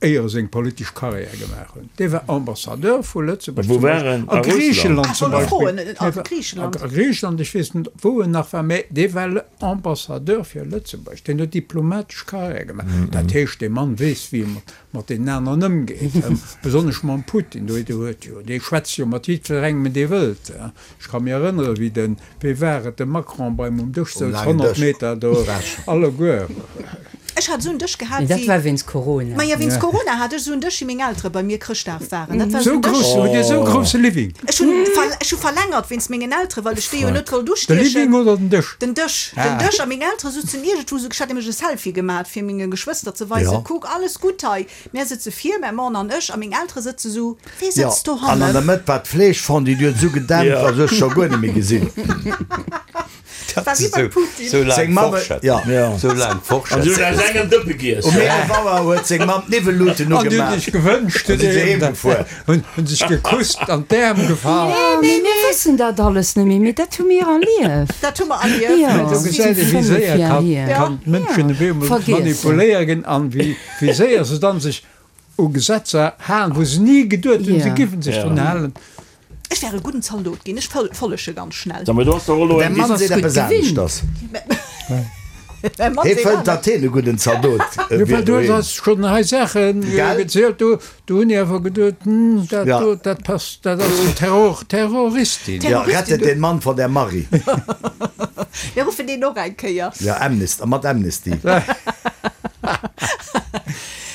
éier e seng politesch Karriär gemaach huet. Dee war Ambassadeur vu Lëtzebuerg Wou zum war Beispill en? a A Russland? Griicheland Ah, zum wollt Beispill. froen, a Dee war Griicheland. a Griicheland, ech weess net, wou en nach war, mä dee war Ambassadeur fir Lëtzebuerg. Deen huet diplomatesch Karriär gemaach. Dat heescht, dee Mann weess, wéi e mat, mat deenen aneren ëmgeet, besonnesch mam Putin. Do huet jo, dee schwätzt jo mat jiddwerengem, dee wëllt. Ech ka mir erënneren, wéi den, wéi war et, de Macron bei em um Dësch Um souz, laangen honnert Dësch. Meter do, alleguer. Ech hat esou en Dësch gehat Mee dat wéi. war wéinst Corona. Ma jo, wéinst Corona hat ech esou en Dësch, wéi meng Eltere bei mir Chrëschtdag waren. Dat war esou Sou en Dësch. grouss, hutt Dir esou grousse Living? Ech hunn ver, ech hu verlängert wéinst mengen Eltere, well ech déi jo net wollt De ustiechen. Living oder den Dësch? Den Dësch, den Dësch. A meng Eltere sutzen iergendwou esou, ech hat nämlech e Selfie gemat, fir menge Geschwëster ze weisen, Ja. kuck, alles gutt hei. Mär sëtze vir, mäi Mann an ech, a meng Eltere sëtze sou, wee Ja, sëtzt an an der dohannen? Mëtt war d'Fleeschfondue, déi huet esou gedämpt, Ja. also ech scho guer net méi gesinn. War wéi beim Putin. Sou laang Seng Mamm, Forschett. ja. Ja. Sou laang An Forschett. si hunn aus engem Dëppe giess. Um eelef Auer huet seng Mamm d'Niwwelluuten An déi hunn ugemaach. sech gewënscht, An si se heem gefuer. hunn hunn sech gekusst, an d'Äerm gefall. Nee, mee mir wëssen dat alles net méi, mee dat hu mir erlieft. Dat hu mer erlieft. Ja. Do gesäit ee wéi Fënnef séier Joer kann, hier. kann d'Mënschen op eemol Vergiessen. manipuléieren an wéi, wéi séier se dann sech u Gesetzer halen, wou se ni geduet hunn, se Ja. giffen sech Ja. drun halen. Ech wär e gudden Zaldot ginn, ech follege ganz schnell. Sag mal, du hast doch elo Däi eng Mann ass seet gutt eppes gewinnt. aneschters. Mäi Mann Hee seet fënnt, anescht. datt heen e gudden Zaldot Jo, wier well du doheem. hues schonn hei Saachen Gell? gezielt, do, do hunn ech awer geduet, hm, dat Ja. do, dat passt, dat ass en Terror, Terroristin. Ja, rettet den Mann von der Marie. Mir ruffen deen och eng Kéier. Ja, Amnesty, mat Amnesty.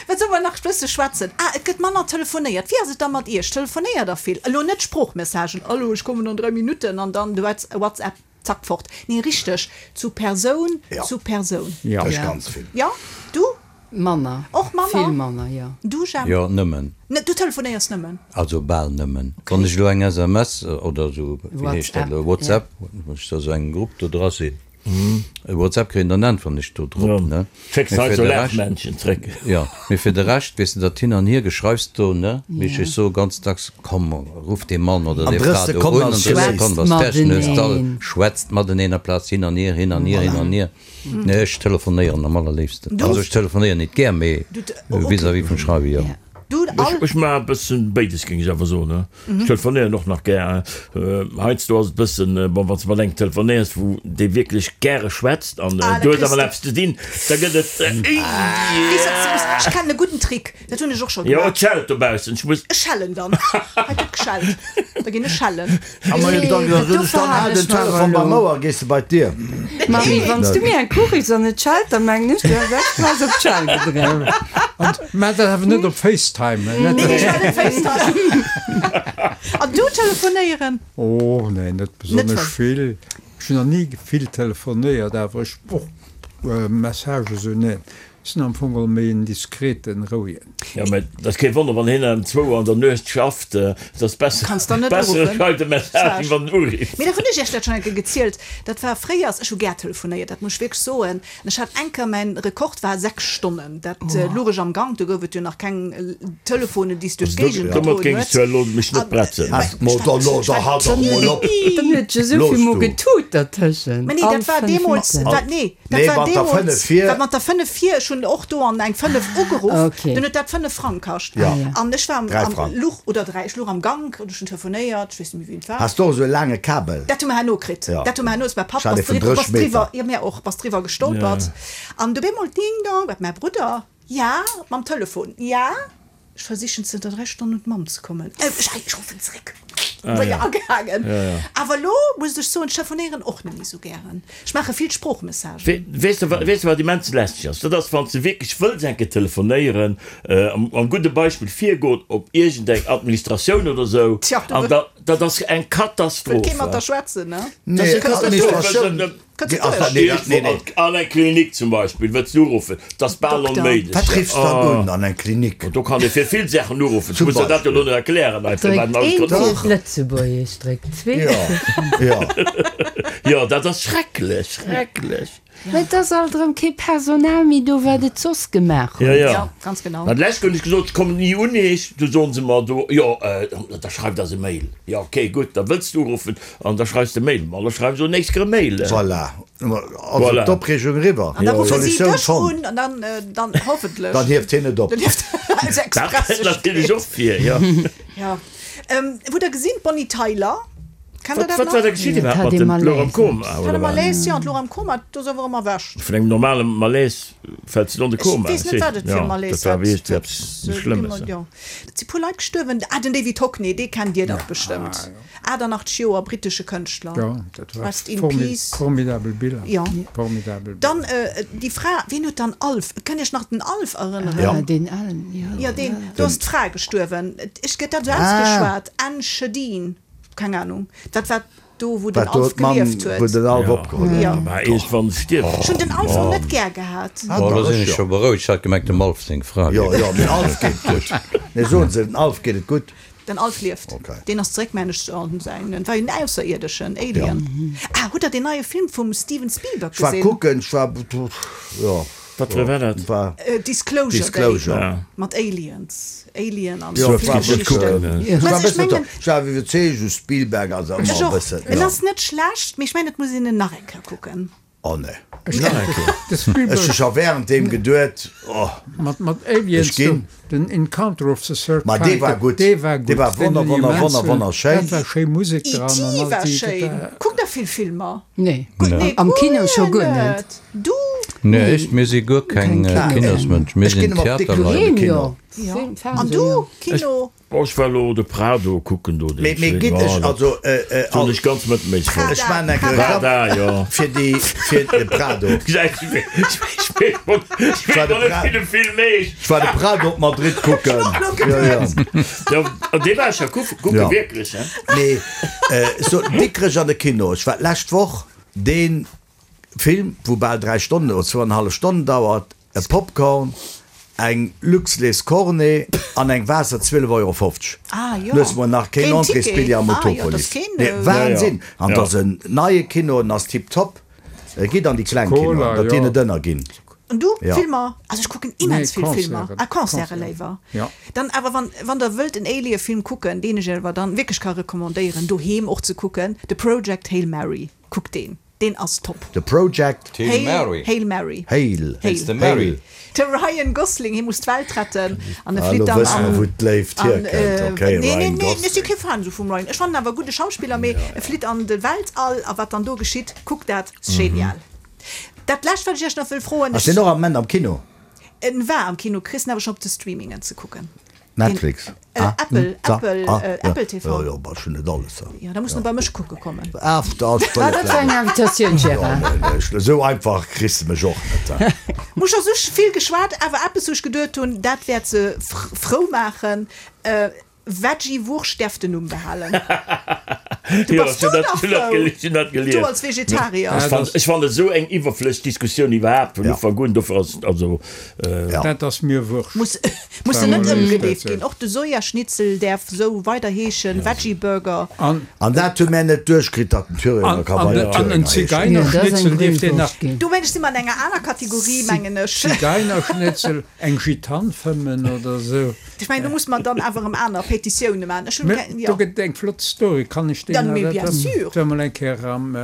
Wat soll mer nach bësse schwätzen? Ah, et gëtt manner telefonéiert. Wéi ass et da mat Iech? Telefonéiert der vill? Elo net Sproochmessagen, Hallo, ech kommen an dräi Minutten an dann du WhatsApp, zack, fort. Nee, richteg, zu Persoun Ja. zu Persoun. Ja. Ech Ja. ganz vill. Ja, du? Manner. Och manner? Vill manner, jo. Du, Jemp? Jo, nëmmen. Ne, du telefonéiers nëmmen? Also bal nëmmen. Wann ech elo eng S M S oder esou, wéi heescht dat elo, WhatsApp, WhatsApp, wann ech da sou engem Grupp do dra sinn, e WhatsApp kréien, dann äntweren ech do drop, Ja. ne? Schécks Mee halt fir so de Rescht, Lachmännchen zréck. ja, mee fir de Rescht, weess de, dat Hin an Hiergeschreifs do, ne? Mee Ja. ech soe ganz dacks, komm, ruff dee Mann oder An déi drëss Fra do Sekonn un, an ass drëss geléist. Sekonn ass fertig, ne? Mateneen. All schwätzt mateneen aplaz hin an hier, hin an hier, hin an hier. Nee, ech telefonéieren am allerléifsten. Du? Also ech telefonéieren net gär, mee Du te- oh, okay. vis-à-vis vum Schreiwe, jo. Ja. Du, Ech, all ech maache e bëssen béides, géing ech awer soen, ne? Ech telefonéieren och nach gär. Äh, heiansdo ass et bëssen, bon, wann s de mat engem telefonéiers, wou dee wierklech gäre schwätzt an, Ah, äh, da du hues kriss awer de- eppes ze dinn, da gëtt et, äh, Weess du, ech kennen e gudden Trick, dat hunn ech och scho Jo, gemaach. et schellt dobaussen, ech muss. Ech schellen dann. Hei gëtt geschellt. Da ginn ech schellen. A ma Nee, dann, dat dann, do dann hal verhal den ech mer Telefon beim elo. Ouer, gees de bei d'Dier. Marie, wann s du mir eng Kuch riffs an et schellt, dann mengen ech, du hues express op d'Schell gedréckt. An maach dat awer net op FaceTime. Nee, nee, ech war net FaceTime. An du telefonéieren? Oh, nee, net besonnesch Net vill. Ech hunn nach ni vill telefonéiert, awer ech och äh, Message esou net. Ech sinn am Fong méi en diskreten, rouegen. Ja, mä dat ass kee Wonner, wann hien ëm zwou an der Nuecht schafft, äh, dat ass besser, Kanns dann net besser uruffen. schreift e Message, wéi wann en urifft. Mee dat hunn ech iech dat schonn eng Kéier gezielt. Dat war fréiers, ech hu gär telefonéiert, dat muss ech wierklech soen. An ech hat eng Kéier, mäin Rekord war sechs Stonnen. Dat oh. louch ech am Gank, do gouf et jo nach keng Telefonen, déi s duerch d'Géigend Domat gedroen géing ech huet. zwar elo mech net bretzen. Hast mo da lo, da halt doch mol op. Dann huet jo esou vill mol getut dertëschent. Mä nee, All dat war fënnef deemools, Minutten. dat, nee, dat Nee, war mat der deemools, fënnef vir. dat mat der fënnef vir, ech hunn och do an eng fënnef ugeruff, Okay. dann huet dat fënnef Frang kascht. Ja. Ah, ja. An ech war am, Dräi am Frang. Luch oder dräi, ech luch am Gank und ech hunn telefonéiert, ech weess net méi, wien et war. Hast du och esou e laange Kabel? Dat hu mer herno kritt. Ja. Dat hu mer herno, ass mäi Papp Ech hat bass ee vun driwwer, drësseg bass driwwer, Meter. ja, mir och, bass driwwer gestolpert. Ja. An du bemol ding dong, wat mäi Brudder. Ja, mam Telefon, ja, ech versichen zënter dräi Stonnen un d'Mamm ze kommen. Ech, ech ruffen zréck. Ah, ja. Agehaangen. Ja, ja. Awer elo muss ech soen, ech telefonéieren och net méi sou gären. Ech maache vill Sproochmessagen. Weess de, weess de wat immens lästeg ass? Dat ass, wann s de wierklech wëlls eng Kéier telefonéieren, am, am gudde Beispill virgoen op iergendeng Administratioun oder sou, Tja, du an da, dat ass eng wëllt kee Katastroph. mat der schwätzen, ne? Dat ass Nee, eng Katastroph. Administratioun. An eng Klinik zum Beispill wëlls du uruffen, dat ass bal onméiglech. Wat riffs du dann un an eng Klinik? Do kann ee fir vill Saachen uruffen. Ech muss der dat jo elo net erklären hei. Dréckt eent fir d'Lëtzebuergesch, dréckt zwee fir. Jo, dat ass schrecklech, schrecklech. Mä et ass alt erëm kee Personal méi do, wat et soss gemaach huet. Jo, jo, ganz genau. An d'lescht hunn ech gesot, ech kommen ni un eech. Du soen se mer do, jo, da schreif eis e Mail. Jo, ok, gutt, da wëlls de uruffen an da schreifs de Mail. Ma da schreiwe se o nächst Kéier e Mail. Voilà, also d'Opreegung eriwwer, An da ruffe si Solutioun dech fonnt. un an dann, dann hoffentlech. Dann hieft hien et op. Dann hieft eis Dat kënnt natierlech Express. och vir, jo. Jo. Hutt der gesinn, d'Bonnie Tyler? Kennt der Wat dat war nach? da geschitt Et iwwerhaapt hat mat ee dem d'Louch am Malaise. Koma, Hat oder e wat? Malaise, jo, an d'Louch am Koma, do ass awer erëm erwächt. Vun engem normale Malaise fält se an de Ech Koma, weess net, wat et fir e jo, dat Malaise war hat. wierklech Dat, eppes äh, Schlëmmes. jo. Et si puer Leit gestuerwen. Ah, den David Hockney, dee kennt Dir dach bestëmmt. achtundachtzeg Joer, brittesche Kënschtler. Jo, dat war Rest in formi peace. formidabel Biller. Jo. Formidabel Biller. Dann äh, déi Fra, wien huet dann Alf? Kënnt Iech nach den Alf erënneren? Ja. Ah, deen alen, jo. Jo, deen, do ass d'Fra gestuerwen. Ech gëtt dat esou Ah. ausgeschwat, Anne Schedeen. Keng Ahnung. Dat war do, wou den Wat do Alf d'Mamm, gelieft wou huet. den Alf Ja. opgeholl huet. Ja. Mä iergendwann stierft. Ech hunn den Alf och net gär gehat. Ah, Bon, dach, lo sinn ech ech jo. scho berouegt. Ech hat gemengt, dem Alf seng Fra Jo, wier jo, dem Alf geet et gutt. Nee, soen se, dem Alf geet et gutt. Den Alf lieft. Okay. Deen ass zeréck, mengen ech, an säin, et war jo en Ausserierdeschen, Alien. Ah, hutt der deen neie Film vum Steven Spielberg Ech war gesinn? kucken, ech war, jo. Wat war dat? War Disclosure Day. Disclosure. Ja. Mat Aliens. Alien an Jo, vill war bëssen Geschichten. kucken. Ech war Ech bëssen mengen, ech war iwwerzeegt, u Spielberg ass ëmmer ech e och. bëssen, En jo. ass net schlecht, mee ech mengen, et muss een en nach eng Kéier kucken. Oh nee. Nach eng Kéier. De Spielberg. Ech hu scho während deem geduet, oh. Mat, mat Aliens, Ech ginn. do, den Encounter of the Third Ma Kind, dee war gutt. Dee war gutt. Dee war Den wonner, hunn ich wonner, immens wonner, wëll. wonnerschéin. Dat war schéi Musek E T dran an all war déi, schéin. dat war. Kuckt der vill Filmer? Nee. Nee, Am guer Kino scho guer net. net. Du? Nee, ech, mir si guer keng Keng Kinosmënsch, mir Ech sinn ginn ëmmer op Dikrech an de Theaterleit. Doheem, Kino. jo. Ja. Film, An Fernseh, du, jo. Kino? Oh, ech war elo de Prado kucken do, deen Mee, mee Film. gitt Oh, ech, dat also, äh, äh, fand ech ganz mëttelméisseg Prada. fonnt. Ech maachen eng Prada. Reklamm Prada, jo. fir déi, fir de Prado. Ech weess war de net, Pra- wéi de Film heescht. Ech war de Prado op Madrid kucken. Jo, jo. Ja, an dee war ech ja kucken, kucken Ja. wierklech, hein. Nee, äh, so Dikrech an de Kino. Ech war d'lescht Woch dee Film, wou bal dräi Stonnen oder zwouanenhallef Stonnen dauert, e Popcorn, eng Luxlés Cornet an eng Waasser zwielef Euro fofzeg. Ah, jo. Loosse mer nach keen Keen Entréesbilljee Ticket. am Ah, jo, dat Utopolis. ass keen, Nee, äh, Wahnsinn! Ja, ja. An dat ass en neie Kino, en ass tiptop. Gitt an déi kleng Cola, Kinoen, datt déi jo. net ënnerginn. An du, Ja. Filmer? Also ech kucken immens Nee, vill Filmer. Concerten. Ah, Concerte Concerten. léiwer. Ja. Dann awer wann, wann der wëllt en Alien-Film kucken, deen ech awer dann wierklech ka recommandéieren, doheem och ze kucken, The Project Hail Mary. Kuckt deen. Deen ass top. The Project Hail Mary. Hail Mary. Hail. Wéinst dem Mary. De Ryan Gosling, hie muss d'Welt retten an e Ah, flitt lo dann wësse mer, an wou d'Léift an, hierkënnt. äh, Okay, nee, nee, Ryan nee, ech Gosling. si kee Fan esou vum Ryan. Ech fannen awer gudde Schauspiller, mee e flitt an de Weltall a wat dann do geschitt, kuckt dat, ass genial. Dat lescht, wat ech iech nach wëll froen, Ass deen och am Moment am Kino? En war am Kino, kriss en awer schonn op de Streamingen ze kucken. Netflix. Den, äh, Ah, Apple, hm, da, Apple, ah, äh, ja. Apple T V. Jo, jo, bah, ech hunn net alles. Ja. Ja, da muss en bei mech kucke kommen. Ah, da ass Ah, dat war eng Invitatioun, Gérard. Ja, nee, nee, ech, esou einfach kriss de mech och net. Muss scho sou vill geschwat, awer eppes wou ech geduet hunn, dat wäert se frou maachen, äh, Veggie-Wurscht däerf den Numm behalen. Du Jo, bass ech hunn du dat, nach hunn dat frou? gel-, ech hunn dat Du gelies. als Vegetarier. Ech fand, ech fand et esou eng iwwerflësseg Diskussioun iwwerhaapt vun Ja. Ufank un, dofir ass, also, äh, Ja. Dat ass mir wurscht. Muss, muss se net War mol ëmgedeeft echt, ginn. Och de Sojaschnitzel däerf sou weider heeschen, Veggie-Burger. An, An dat hu mär net duerchkritt, datt den Thüringer an, ka an, weider an en Thüringer heeschen. Ja, dat ass eng Zigeunerschnitzel dierft een nach. Grillwurscht ginn. Do mengen ech si mer an enger aner Kategorie, mengen ech. Zigeunerschnitzel, eng Gitane fëmmen oder sou. Ech mengen, do muss mer dann awer erëm aner Petitioune maachen. Ech hunn Mä keng, do jo. gëtt eng flott Story, kann ech déi Dann, nach mais bien dat- sûr. Et war mol eng Kéier am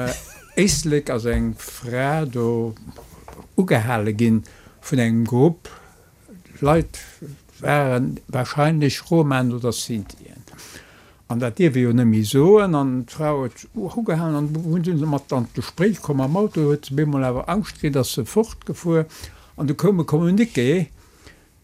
Éislek ass eng Fra do ugehale ginn vun engem Grupp Leit, waren wahrscheinlech Romaen oder Sintien. An dat dierf ee jo net méi soen. An d'Fra huet ugehalen an hunn se mat an d'Gespréich komm am Auto, huet se bemol awer Angscht kritt, ass se fortgefuer. An du koum e Communiqué,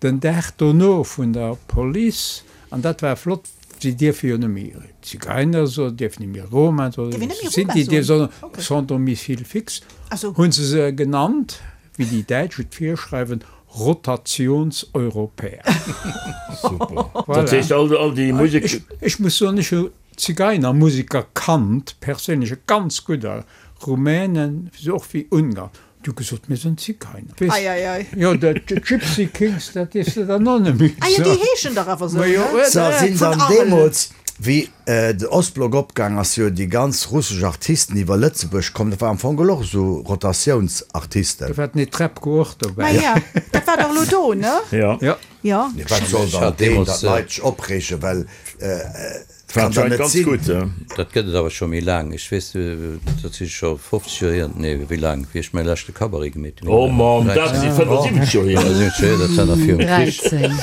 Den Dag dono vun der Police, an dat war flott, si dierfe jo net méi Zigeiner soen, dierfen net méi Roma soen, Dierf een net méi Roma Sinti soen? soen, Okay. sans domicile fixe, Ah sou. hu se se genannt, wéi déi Däitsch et virschreiwen, Rotationseuropäer. Super. Voilà. Dat heescht, all, all déi Musek. Ech, ech muss soen, ech hu Zigeinermusiker kannt, perséinlech, e ganz gudder, Rumänen, sou och wéi Ungarn, déi hu gesot, mir sinn Zigeuner. Weess, Ei, ei, ei. jo, dat Gypsy Kings, dat dierfs de dann och net méi Ah jo, déi soen. heeschen dach awer sou, Ma jo, ne? Se sinn Vun dann Arel. deemools, wéi de Ostblock opgaang ass, jo déi ganz russesch Artisten iwwer Lëtzebuerg komm. Dat war am Fong geholl och esou Rotatiounsartisten. Do war den Netrebko och dobäi. Ma ja, dat war dach elo do, ne? Ja. Ja. Ja. Nee, wat soll Ech dann hat deen, deemools, datt d'Leit sech opreegen, well et War kann dann anscheinend net ganz sinn. gutt, ja. Dat gëtt et awer scho méi laang. Ech weess, dat si scho fofzeg Joer hier, nee, wéi laang, wéi ech mäi leschte Cabaret gemeet hunn. Oh Mamm, dat si fënnefensiwwenzeg Joer hier. fënnefensiwwenzeg Joer, dat war nach virum Krich. Dräizéng.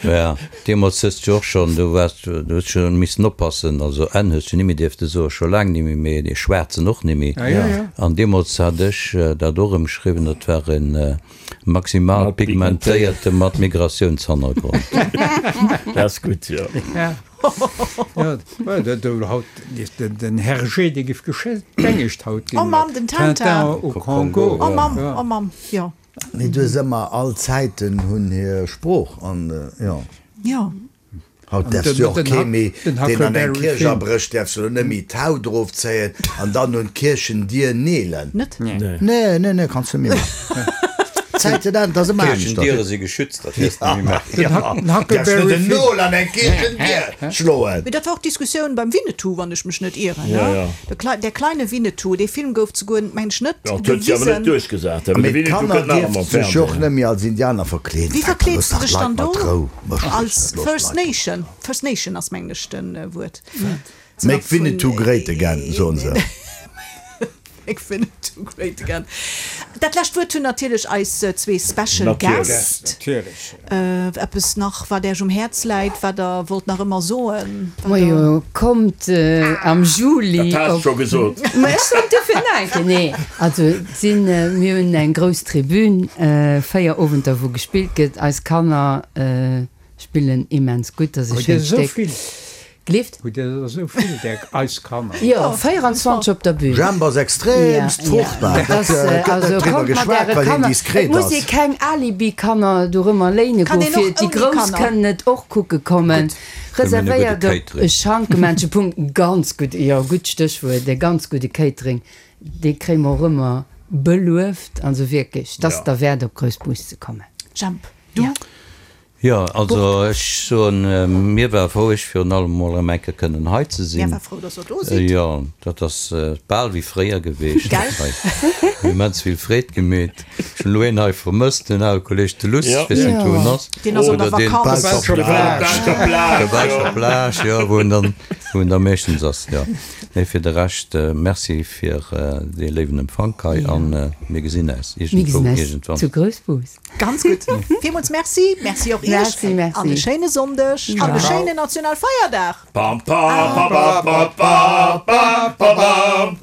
Ja, deemools hues du och schonn, du waars, du hues scho missen oppassen, also N hues du nimmi dierfte soen, scho laang nimmi méi, dee Schwaarzen och nimmi. Ja, ja, ja. An deemools hat ech dat och ëmschriwwen, dat war en maximal pigmentéierte mat Migratiounshannergrond. Dat ass gutt, jo. Ja. Ja, ja, do haut den Hergé, dee giff gestengegt haut ginn. Oh Mamm, den Tintin. Tintin au Congo. Oh Mamm, oh Mamm, jo. Mee du hues ëmmer, all Zäiten hunn hir Sprooch an jo. Jo. Haut däerfs du och kee méi, deen an eng Kierch abrécht, däerfs du elo net méi d'Haut erofzéien an dann un d'Kierchendier neelen. Net? Nee, nee, nee, kanns du net méi maachen. D'Zäiten änneren, dat ass ëmmer aneschters. D'Kierchendiere si geschützt, dat däerfs du net méi maachen. Ja, däerfs net en Nol an eng Kierchendier schloen. Mee dat war och d'Diskussioun beim Winnetou, wann ech mech net ieren, Ja, ne? ja. Der Klei, Der kleine Winnetou, dee Film gouf zeguer, meng ech, net Ja, dat huet sech awer net gewisen. duerchgesat, well de Mee Winnetou d'Kanner kënnt nach ëmmer am dierfte sech och Fernsehen. net méi als Indianer verkleeden. Wéi Wat, verkleeds looss de dach dech d'Leit dann mat do? Rou, mécht lech Als net, looss First d'Leit mat Nation? First Nation ass, mengen ech, den Wuert. Make Winnetou great again, soen se. Make Winnetou great again. Dat lescht Wuert hunn natierlech eis zwee Special Natierlech. Guest. Natierlech. Eppes nach, wat Äech um Häerz läit, wat Der wollt nach ëmmer soen? Wat Der. Majo, kommt am Juli Dat has de op. scho gesot. Ma ech soen duerfir nach eng Kéier. Nee, also et sinn, mir hunn eng grouss Tribün, véier Owenter wou gespillt gëtt. Eis Kanner spillen immens gutt, dat ass e Hutt Dir schéint esou Stéck. vill? Gleeft? Hutt Dir der esou vill, där eis Kanner? Jo, véierundzwanzeg op der Bühn. Jemp ass extremst fruchtbar. Ja, dat Dat gëtt also net driwwer kommt mat geschwat, äre well hien Kanner. Et diskret muss ee ass. keng Alibi-Kanner dorëmmer léine Kann goen, een och fir déi ouni Grouss Kanner? kënnen et och kucke kommen. Mir hunn e gudde Reservéiert op Catering. Schankemännche Punkt. Ganz gutt, jo, gutt Stéchwuert, e ganz gudde Catering, dee kréie mer och ëmmer belueft. Also wierklech, 't ass Ja. derwäert op Groussbus ze kommen. Jemp, du? Ja. Jo, also ech soen, mir war frou, ech virun allem mol erëm eng Kéier kënnen hei ze Mir sinn. war frou, dass Der do sidd. Jo, dat ass bal wéi fréier geweecht. Gell? Huet immens vill Freed gemeet. Ech hunn elo een hei vermësst, den ale Kolleg de Luss, Ja. ech weess net, wou en ass. Deen ass op der Oder deen Vakanz. Belscher Plage. Belscher Plage, Der Belscher jo. Plage, jo, wou en dann, wou en da meeschtens ass, jo. Nee, fir de Rescht, Merci fir dee léiwen Empfank hei an mir gesinn eis Mir iergendwou, gesinn eis iergendwann. zu Groussbus. Ganz gutt. Villmools Merci. Merci och Iech. Merci, merci. An e schéine Sonndeg an e schéinen Nationalfeierdag. Pam, pam, pa, pa, pa, pa, pa, pa, pam.